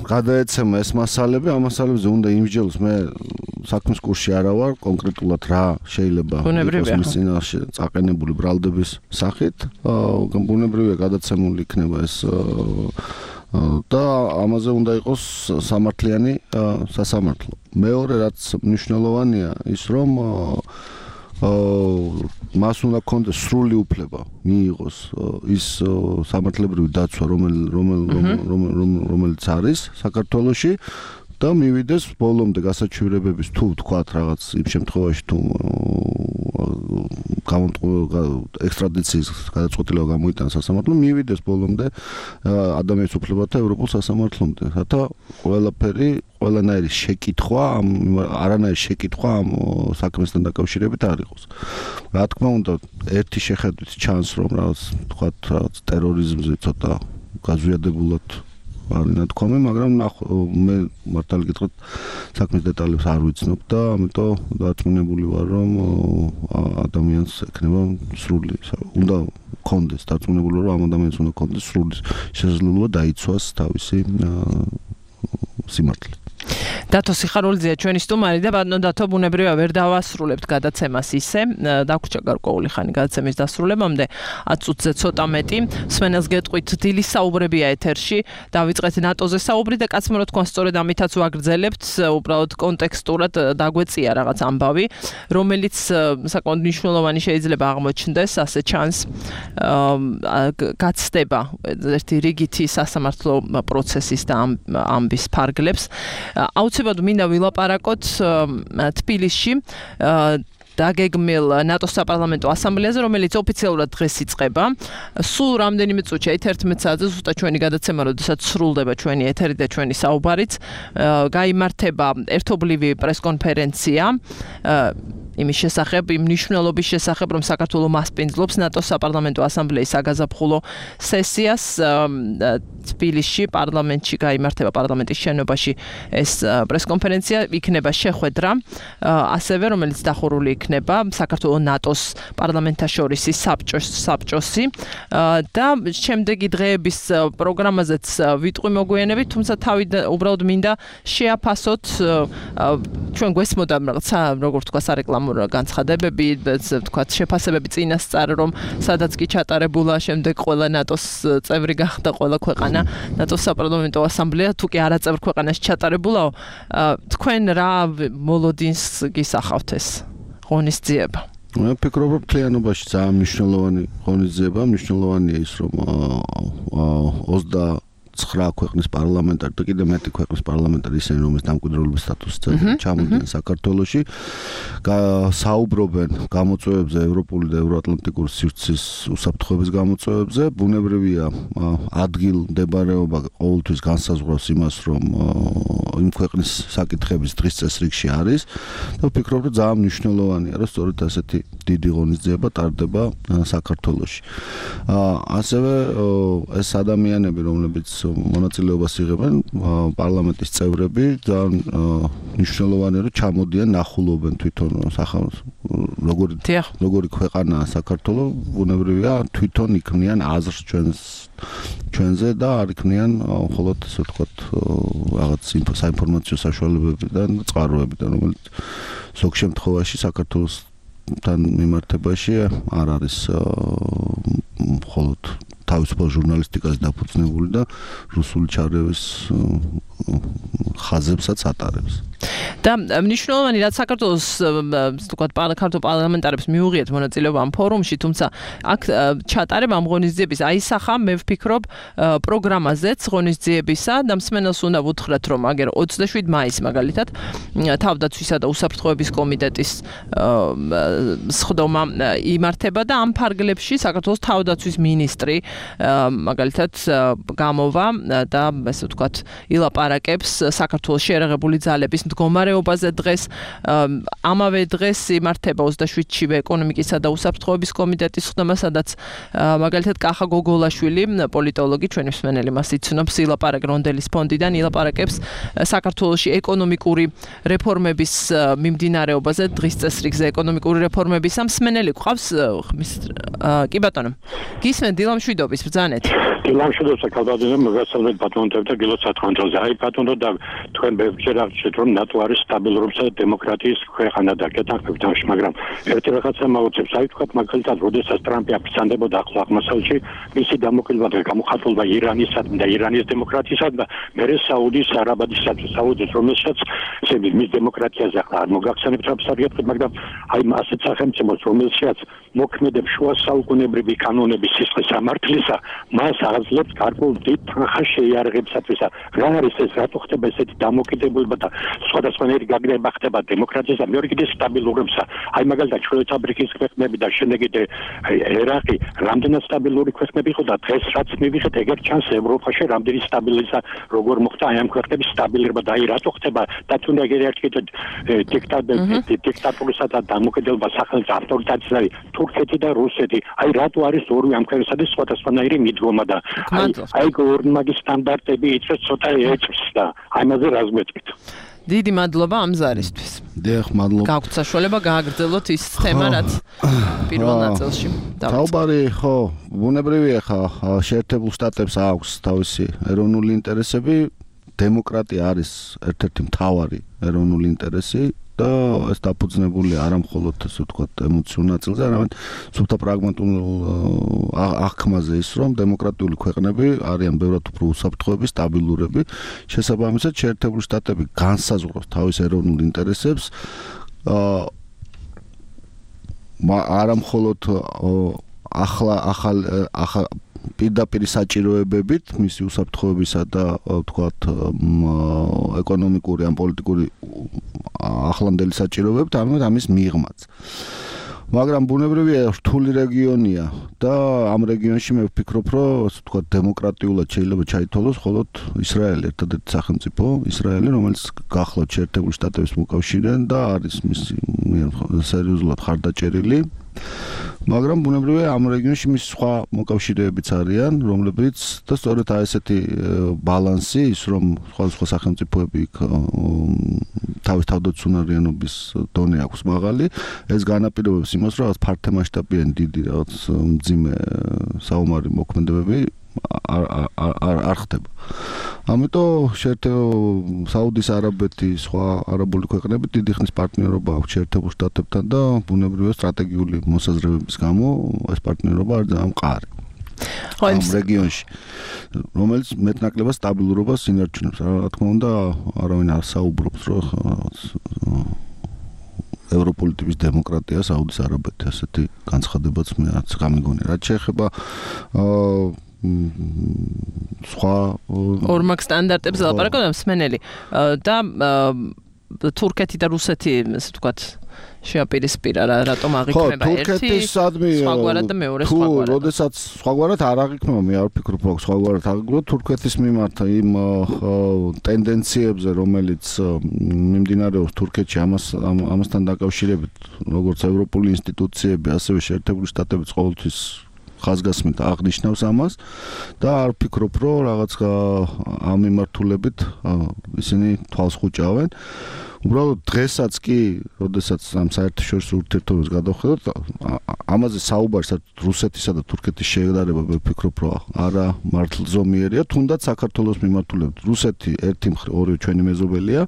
გადაეცემა ეს მასალები ამ მასალებზე უნდა იმსჯელოს მე საქმის კურსში არა ვარ კონკრეტულად რა შეიძლება იყოს მის წინაშე წაყენებული ბრალდების სახით ბუნებრივია გადაცემული იქნება ეს და ამაზე უნდა იყოს სამართლიანი სასამართლო. მეორე რაც მნიშვნელოვანია ის რომ მას უნდა კონდეს სრული უფლება მიიღოს ის სამართლებრივი დაცვა რომელიც არის საქართველოში და მივიდეს ბოლომდე გასაჩივრებების თუ ვთქვათ რაღაც იმ შემთხვევაში თუ ექსტრადიციის გადაწყვეტილება გამოიტანა სასამართლომ მივიდეს ბოლომდე ადამიანის უფლებათა ევროპულ სასამართლომდე რათა ყველანაირი შეკითხვა არანაირი შეკითხვა ამ საქმესთან დაკავშირებით არ იყოს რა თქმა უნდა ერთი შეხედვით ჩანს რომ რაღაც ვთქვათ ტერორიზმზე ცოტა გაზვიადებულად არის ნათქვამი, მაგრამ მე მართალი გითხრათ საქმის დეტალებს არ ვიცნობ და ამიტომ დარწმუნებული ვარ, რომ ადამიანს ექნება სრული უნდა კონდეს, დარწმუნებული ვარ, რომ ამ ადამიანს უნდა კონდეს სრული შესაძლებლობა დაიცვას თავისი სიმართლე. დათო სიხარულიძეა ჩვენი სტუმარი და ბატონო დათო ბუნებრივია ვერ დავასრულებთ გადაცემას ისე დაგვრჩა გარკვეული ხანი გადაცემის დასრულებამდე 10 წუთზე ცოტა მეტი სვენელს გეტყვით დილის საუბრებია ეთერში დავიწყეთ ნატოზე საუბრი და კაცმო რა თქვა სწორედ ამითაც ვაგრძელებთ უბრალოდ კონტექსტურად დაგვეწია რაღაც ამბავი რომელიც საკმაოდ მნიშვნელოვანი შეიძლება აღმოჩნდეს ასე ჩანს გაცდება ერთი რიგითი სასამართლო პროცესის და ამბის ფარგლებს აუცილებლად მინდა ვილაპარაკოთ თბილისში დაგეგმილ ნატოს საპარლამენტო ასამბლეაზე, რომელიც ოფიციალურად დღეს იწყება. სულ რამდენიმე წუთში 11 საათზე ზუსტად ჩვენი გადაცემა, როდესაც სრულდება ჩვენი ეთერი და ჩვენი საუბარიც, გაიმართება ერთობლივი პრესკონფერენცია იმის შესახებ, იმ მნიშვნელობის შესახებ, რომ საქართველოს მასპინძლობს ნატოს საპარლამენტო ასამბლეის საგაზაფხულო სესიას თბილისში პარლამენტში გაიმართება პარლამენტის შენობაში ეს პრესკონფერენცია იქნება შეხვედრა ასევე რომელიც დახურული იქნება საქართველოს ნატოს პარლამენტაშორისი საბჭოსი და შემდეგი დღეების პროგრამაზეც ვიტყვი მოგვიანებით თუმცა თავი უბრალოდ მინდა შეაფასოთ ჩვენ გვესმოდა რაღაცა როგორ თქვა სარეკლამო განცხადებები, თქვათ, შეფასებები წინასწარ, რომ სადაც კი ჩატარებულა, შემდეგ ყველა ნატოს წევრი გახდა ყველა ქვეყანა, ნატოს საპარლამენტო ასამბლეა, თუ კი არაწევრ ქვეყანაში ჩატარებულაო, თქვენ რა მოლოდინს გისახავთ ეს ღონისძიება? მე ვფიქრობ, რომ მთლიანობაში ძალიან მნიშვნელოვანი ღონისძიება, მნიშვნელოვანია ის, რომ 29 ქვეყნის პარლამენტარი და კიდევ მეტი ქვეყნის პარლამენტარი ისინი, რომელიც დამკვიდრებლობის სტატუსით ჩამოდიან საქართველოში, საუბრობენ გამოწვევებზე, ევროპული და ევროატლანტიკური სივრცის უსაფრთხოების გამოწვევებზე. ბუნებრივია, ადგილმდებარეობა ყოველთვის განსაზღვრავს იმას, რომ იმ ქვეყნის საკითხების დღის წესრიგში არის და ვფიქრობ, რომ ძალიან მნიშვნელოვანია, რომ სწორედ ასეთი დიდი ღონისძიება ტარდება საქართველოში. ასევე ეს ადამიანები, რომლებიც მონაწილეობას იღებენ, პარლამენტის წევრები, ძალიან მნიშვნელოვანია, რომ ჩამოდიან, ნახულობენ თვითონ როგორი ქვეყანაა საქართველო, ბუნებრივია, თვითონ იქმნიან აზრს ჩვენზე და არ იქმნიან მხოლოდ ასე ვთქვათ რაღაც საინფორმაციო საშუალებებიდან, წყაროებიდან, რომელიც ზოგ შემთხვევაში საქართველოსთან მიმართებაში არ არის მხოლოდ თავისუფალ ჟურნალისტიკას დაფუძნებული და რუსული ჩარევის ხაზებსაც ატარებს. და მნიშვნელოვანი რაც საქართველოს თქვათ ქართულ პარლამენტარებს მიუღიათ მონაწილეობა ამ ფორუმში, თუმცა აქ ჩატარება ამ ღონისძიების აისახა, მე ვფიქრობ, პროგრამაზეც ღონისძიებისა და მსმენელს უნდა ვუთხრათ, რომ აგერ 27 მაისს მაგალითად თავდაცვისა და უსაფრთხოების კომიტეტის სხდომა იმართება და ამ ფარგლებში საქართველოს თავდაცვის მინისტრი მაგალითად გამოვა და ესე ვთქვათ ილაპარაკებს საქართველოს შეერაღებული ძალების მდგომარეობაზე დღეს. ამავე დღეს იმართება 27-ში ეკონომიკისა და უსაფრთხოების კომიტეტის სხდომა, სადაც მაგალითად კახა გოგოლაშვილი, პოლიტოლოგი, ჩვენი მსმენელი მას იცნობს, ილაპარაკ რონდელის ფონდიდან ილაპარაკებს საქართველოში ეკონომიკური რეფორმების მიმდინარეობაზე, დღის წესრიგზე ეკონომიკური რეფორმების. მსმენელი გვყავს? კი ბატონო. გისმენთ დილამშვიდობის ბრძანეთ. დილამშვიდობს კალბადონო, მოგესალმებით ბატონო და გილოცავთ ხანძრაზე. აი ბატონო და თქვენ ბევრჯერ აღნიშნეთ, რომ ნატო არის სტაბილურობისა და დემოკრატიის ქვეყანა და გეთანხმებით ამაში, მაგრამ ერთი რაღაცა მოვუწევს, აი თქვათ მაგალითად, როდესაც ტრამპი აფრთხანდებოდა ახლო აღმოსავლეთში, მისი დამოკიდება და გამოხატულება ირანისადმი და ირანის დემოკრატიისადმი და მერე საუდის არაბეთისადმი, საუდის რომელსაც მის დემოკრატიაზე ახლა არ მოგახსენებთ აბსოლუტურად, მაგრამ აი ასეთ სახელმწიფოს, რომელსაც მოქმედებს შუა საუკუნეებრივი კანონების სისხლის სამართლისა, მას აძლევს გარკვეულ დიდ თანხას შეიარაღებისათვის. რა არის ეს, რატო ხდება ესეთი დამოკიდებულება და სხვადასხვანაირი გაგრძელება ხდება დემოკრატიისა, მეორე კიდე სტაბილურობისა. აი მაგალითად ჩრდილოეთ აფრიკის ქვეყნები და შემდეგ ერაყი რამდენად სტაბილური ქვეყნები იყო და დღეს რაც მივიღეთ, ეგერ ჩანს ევროპაში რამდენი სტაბილიზა როგორ მოხდა აი ამ ქვეყნების სტაბილურობა და აი რატო ხდება და თუნდაც ერთ კიდე დიქტატურისა და დამოკიდებულება სახელმწიფო ავტორიტარიზმის არის თურქეთი და რუსეთი. აი რატო არის ორი ამ ქვეყნებსა სხვადასხვანაირი მიდგომა და აი ორმაგი სტანდარტები იწვევს ცოტა ეჭვს და აი ამაზე რა ზღვეთქვით. დიდი მადლობა ამ ზარისთვის. დიახ, მადლობა. გაგვთ საშუალება გააგრძელოთ ის თემა, რაც პირველ ნაწილში დავიწყეთ. თავბარი, ხო, ბუნებრივია ხა, შეერთებულ შტატებს აქვს თავისი ეროვნული ინტერესები, დემოკრატია არის ერთ-ერთი მთავარი ეროვნული ინტერესი. და ეს დაფუძნებული არა მხოლოდ ასე ვთქვათ ემოციურ ნაწილზე, არამედ სულთა პრაგმატულ აღქმაზე ის, რომ დემოკრატიული ქვეყნები არიან ბევრად უფრო უსაფრთხოები, სტაბილურები. შესაბამისად, შეერთებული შტატები განსაზღვრავს თავის ეროვნულ ინტერესებს. არა მხოლოდ ახალ პირდაპირ საჭიროებებით, მისი უსაფრთხოებისა და ვთქვათ ეკონომიკური ან პოლიტიკური ახლანდელი საჭიროებებით, ამით ამის მიღმაც. მაგრამ ბუნებრივია რთული რეგიონია და ამ რეგიონში მე ვფიქრობ, რომ ასე ვთქვათ დემოკრატიულად შეიძლება ჩაითვალოს მხოლოდ ისრაელი, ერთადერთი სახელმწიფო ისრაელი, რომელიც გახლავთ შეერთებული შტატების მოკავშირეა და არის მისი სერიოზულად ხარდაჭერილი. მაგრამ ბუნებრივია ამ რეგიონში მის სხვა მოკავშირეებიც არიან, რომლებიც და სწორედ აი ესეთი ბალანსი ის, რომ სხვა სახელმწიფოები თავის თავდაცუნარიანობის დონე აქვს მაღალი, ეს განაპირობებს იმას, რომ რაღაც ფართომასშტაბიანი დიდი რაღაც მძიმე საომარი მოქმედებები არ ხდება. ამიტომ საუდის არაბეთი სხვა არაბული ქვეყნები დიდი ხნის პარტნიორობა აქვს შეერთებულ შტატებთან და ბუნებრივია სტრატეგიული მოსაზრებების გამო ეს პარტნიორობა არ ძალიან მყარი. ამ რეგიონში რომელიც მეტნაკლებად სტაბილურობას ინარჩუნებს. რა თქმა უნდა არავინ არ საუბრობს რომ ევროპული ტიპის დემოკრატია საუდის არაბეთი ასეთი განცხადებაც მე არც გამიგონია. რაც შეეხება სხვა ორმაგ სტანდარტებს ლაპარაკობთ მსმენელი და თურქეთი და რუსეთი ესე ვთქვათ შეაპირისპირა რატომ აღიქმება ერთი სხვაგვარად და მეორე სხვაგვარად. თუ როდესაც სხვაგვარად არ აღიქმება მე არ ვფიქრობ რომ სხვაგვარად აღიქმება თურქეთის მიმართ იმ ტენდენციებზე რომელიც მიმდინარეობს თურქეთში ამასთან დაკავშირებით როგორც ევროპული ინსტიტუციები ასევე შეერთებული შტატებიც ყოველთვის ხაზგასმით აღნიშნავს ამას და არ ვფიქრობ რომ რაღაც ამ მიმართულებით ისინი თვალს ხუჭავენ. უბრალოდ დღესაც კი, როდესაც ამ საერთაშორისო ურთიერთობებს გადავხედოთ, ამაზე საუბარი რუსეთისა და თურქეთის შედარება მე ვფიქრობ რომ არა მართლზომიერია, თუნდაც საქართველოს მიმართულებით. რუსეთი ერთი მხრივ ორივე ჩვენი მეზობელია,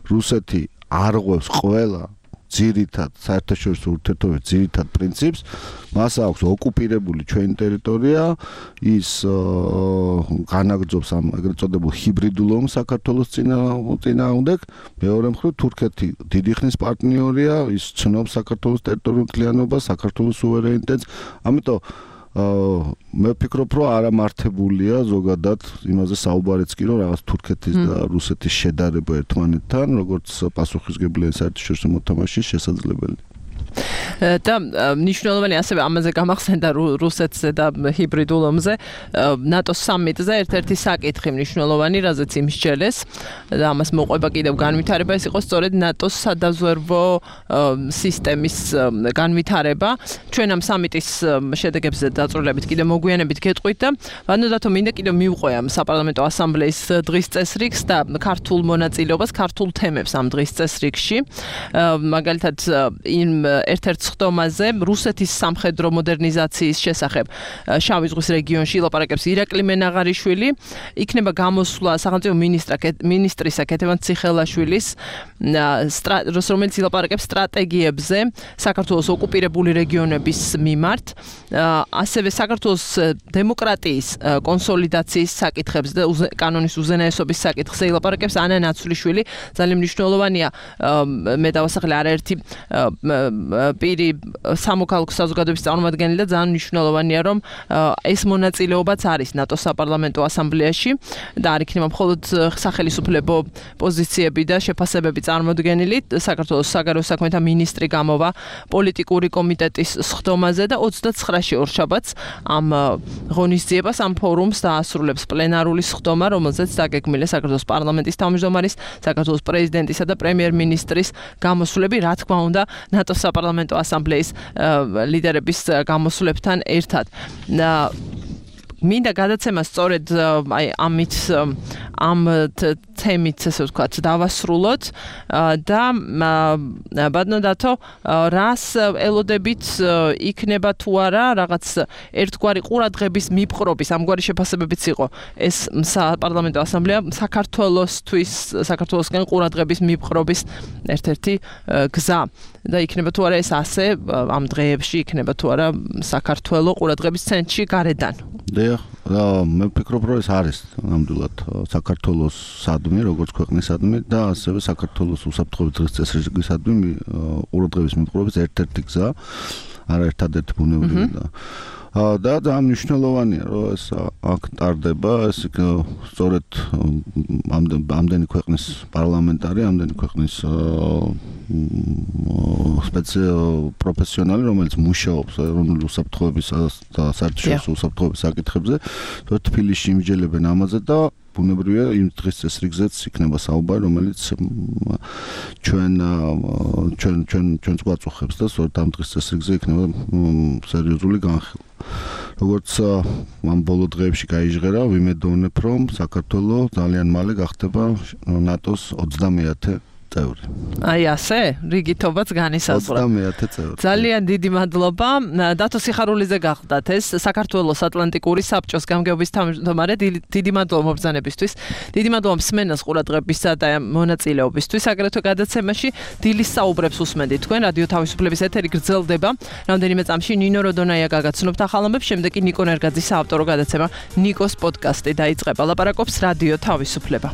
რუსეთი არღვევს ყველა ძირითად საერთაშორისო ურთიერთობების ძირითად პრინციპს, მას აქვს ოკუპირებული ჩვენი ტერიტორია, ის განაგრძობს ამ ეგრეთ წოდებულ ჰიბრიდულ ომს საქართველოს წინააღმდეგ, მეორე მხრივ თურქეთი დიდი ხნის პარტნიორია, ის ცნობს საქართველოს ტერიტორიულ მთლიანობას, საქართველოს სუვერენიტეტს, ამიტომ მე ვფიქრობ რომ არამართებულია ზოგადად იმაზე საუბარიც კი რომ რაღაც თურქეთის და რუსეთის შედარება ერთმანეთთან როგორც პასუხისმგებელი საერთაშორისო მოთამაშის შესაძლებელი. და მნიშვნელოვანი ასევე ამაზე გამახსენდა რუსეთზე და ჰიბრიდულ ომზე ნატოს სამიტზე ერთ-ერთი საკითხი მნიშვნელოვანი რაზეც იმსჯელეს და ამას მოყვება კიდევ განვითარება ეს იყო სწორედ ნატოს სადაზვერვო სისტემის განვითარება ჩვენ ამ სამიტის შედეგებზე დაწვრილებით კიდევ მოგვიანებით გეტყვით და ვანოდათო მინდა კიდევ მივყვე ამ საპარლამენტო ასამბლეის დღის წესრიგს და ქართულ მონაწილეობას ქართულ თემებს ამ დღის წესრიგში მაგალითად იმ ერთ-ერთ ხდომაზე რუსეთის სამხედრო მოდერნიზაციის შესახებ შავი ზღვის რეგიონში ლაპარაკებს ირაკლი მენაღარიშვილი იქნება გამოსვლა სახელმწიფო მინისტრისა კეთევან ციხელაშვილის რომელიც ლაპარაკებს სტრატეგიებზე საქართველოს ოკუპირებული რეგიონების მიმართ ასევე საქართველოს დემოკრატიის კონსოლიდაციის საკითხებზე და კანონის უზენაესობის საკითხზე ლაპარაკებს ანა ნაცვლიშვილი ძალიან მნიშვნელოვანია მე დავასახელე არაერთი პირი სამოქალაქო საზოგადოების წარმომადგენელი და ძალიან მნიშვნელოვანია რომ ეს მონაწილეობაც არის ნატოს საპარლამენტო ასამბლეაში და არ იქნება მხოლოდ სახელმწიფო პოზიციები და შეფასებები წარმოდგენილი საქართველოს საგარეო საქმეთა მინისტრი გამოვა პოლიტიკური კომიტეტის სხდომაზე და 29-ში ორშაბათს ამ ღონისძიებას ამ ფორუმს დაასრულებს პლენარული სხდომა რომელზეც დაგეგმილია საქართველოს პარლამენტის თავმჯდომარის საქართველოს პრეზიდენტისა და პრემიერ-მინისტრის გამოსვლები რა თქმა უნდა ნატოს საპარლამენტო ასამბლეის ლიდერების გამოსვლებთან ერთად. მინდა გადაცემა სწორედ აი ამით ამ თემით ესე ვთქვათ დავასრულოთ და ბატონო რას ელოდებით იქნება თუ არა რაღაც ერთგვარი ყურადღების მიპყრობის ამგვარი შეფასებებიც იყო ეს საპარლამენტო ასამბლეა საქართველოსთვის საქართველოსკენ ყურადღების მიპყრობის ერთ-ერთი გზა და იქნება თუ არა ეს ასე ამ დღეებში იქნება თუ არა საქართველოს ყურადღების ცენტრში გარედან მე ვფიქრობ რომ ეს არის ნამდვილად საქართველოს სადმი როგორც ქვეყნის სადმი და ასევე საქართველოს უსაფრთხოების დღის წესრიგისადმი ყურადღების მიპყრობის ერთ-ერთი გზა არა ერთადერთი ბუნებრივი და ძალიან მნიშვნელოვანია რომ ეს აქ ტარდება ეს სწორედ ამდენი ქვეყნის პარლამენტარი ამდენი ქვეყნის პროფესიონალი რომელიც მუშაობს ეროვნული უსაფრთხოების და საერთაშორისო უსაფრთხოების საკითხებზე თბილისში იმჯელებენ ამაზე და ბუნებრივია იმ დღის წესრიგზეც იქნება საუბარი რომელიც ჩვენს გვაწუხებს და სწორედ ამ დღის წესრიგზე იქნება სერიოზული განხილვა როგორც ამ ბოლო დღეებში გაიჟღერა ვიმედოვნებ რომ საქართველოს ძალიან მალე გახდება ნატოს 30-ე წევრი. აი ასე, რიგითობაც განისაზღვრა. 30,000 წევრი. ძალიან დიდი მადლობა. დათო სიხარულიძე გახდათ ეს საქართველოს ატლანტიკური საბჭოს გამგეობის თავმჯდომარე. დიდი მადლობა მობრძანებისთვის. დიდი მადლობა მსმენელს ყურადღებისა და მონაწილეობისთვის. აგრეთვე გადაცემაში დილის საუბრებს უსმენთ თქვენ. რადიო თავისუფლების ეთერი გრძელდება. რამდენიმე წამში ნინო როდონაია გაგაცნობთ ახალ ამბებს, შემდეგ კი ნიკო ნერგაძის საავტორო გადაცემა ნიკოს პოდკასტი დაიწყება. ლაპარაკობს რადიო თავისუფლება.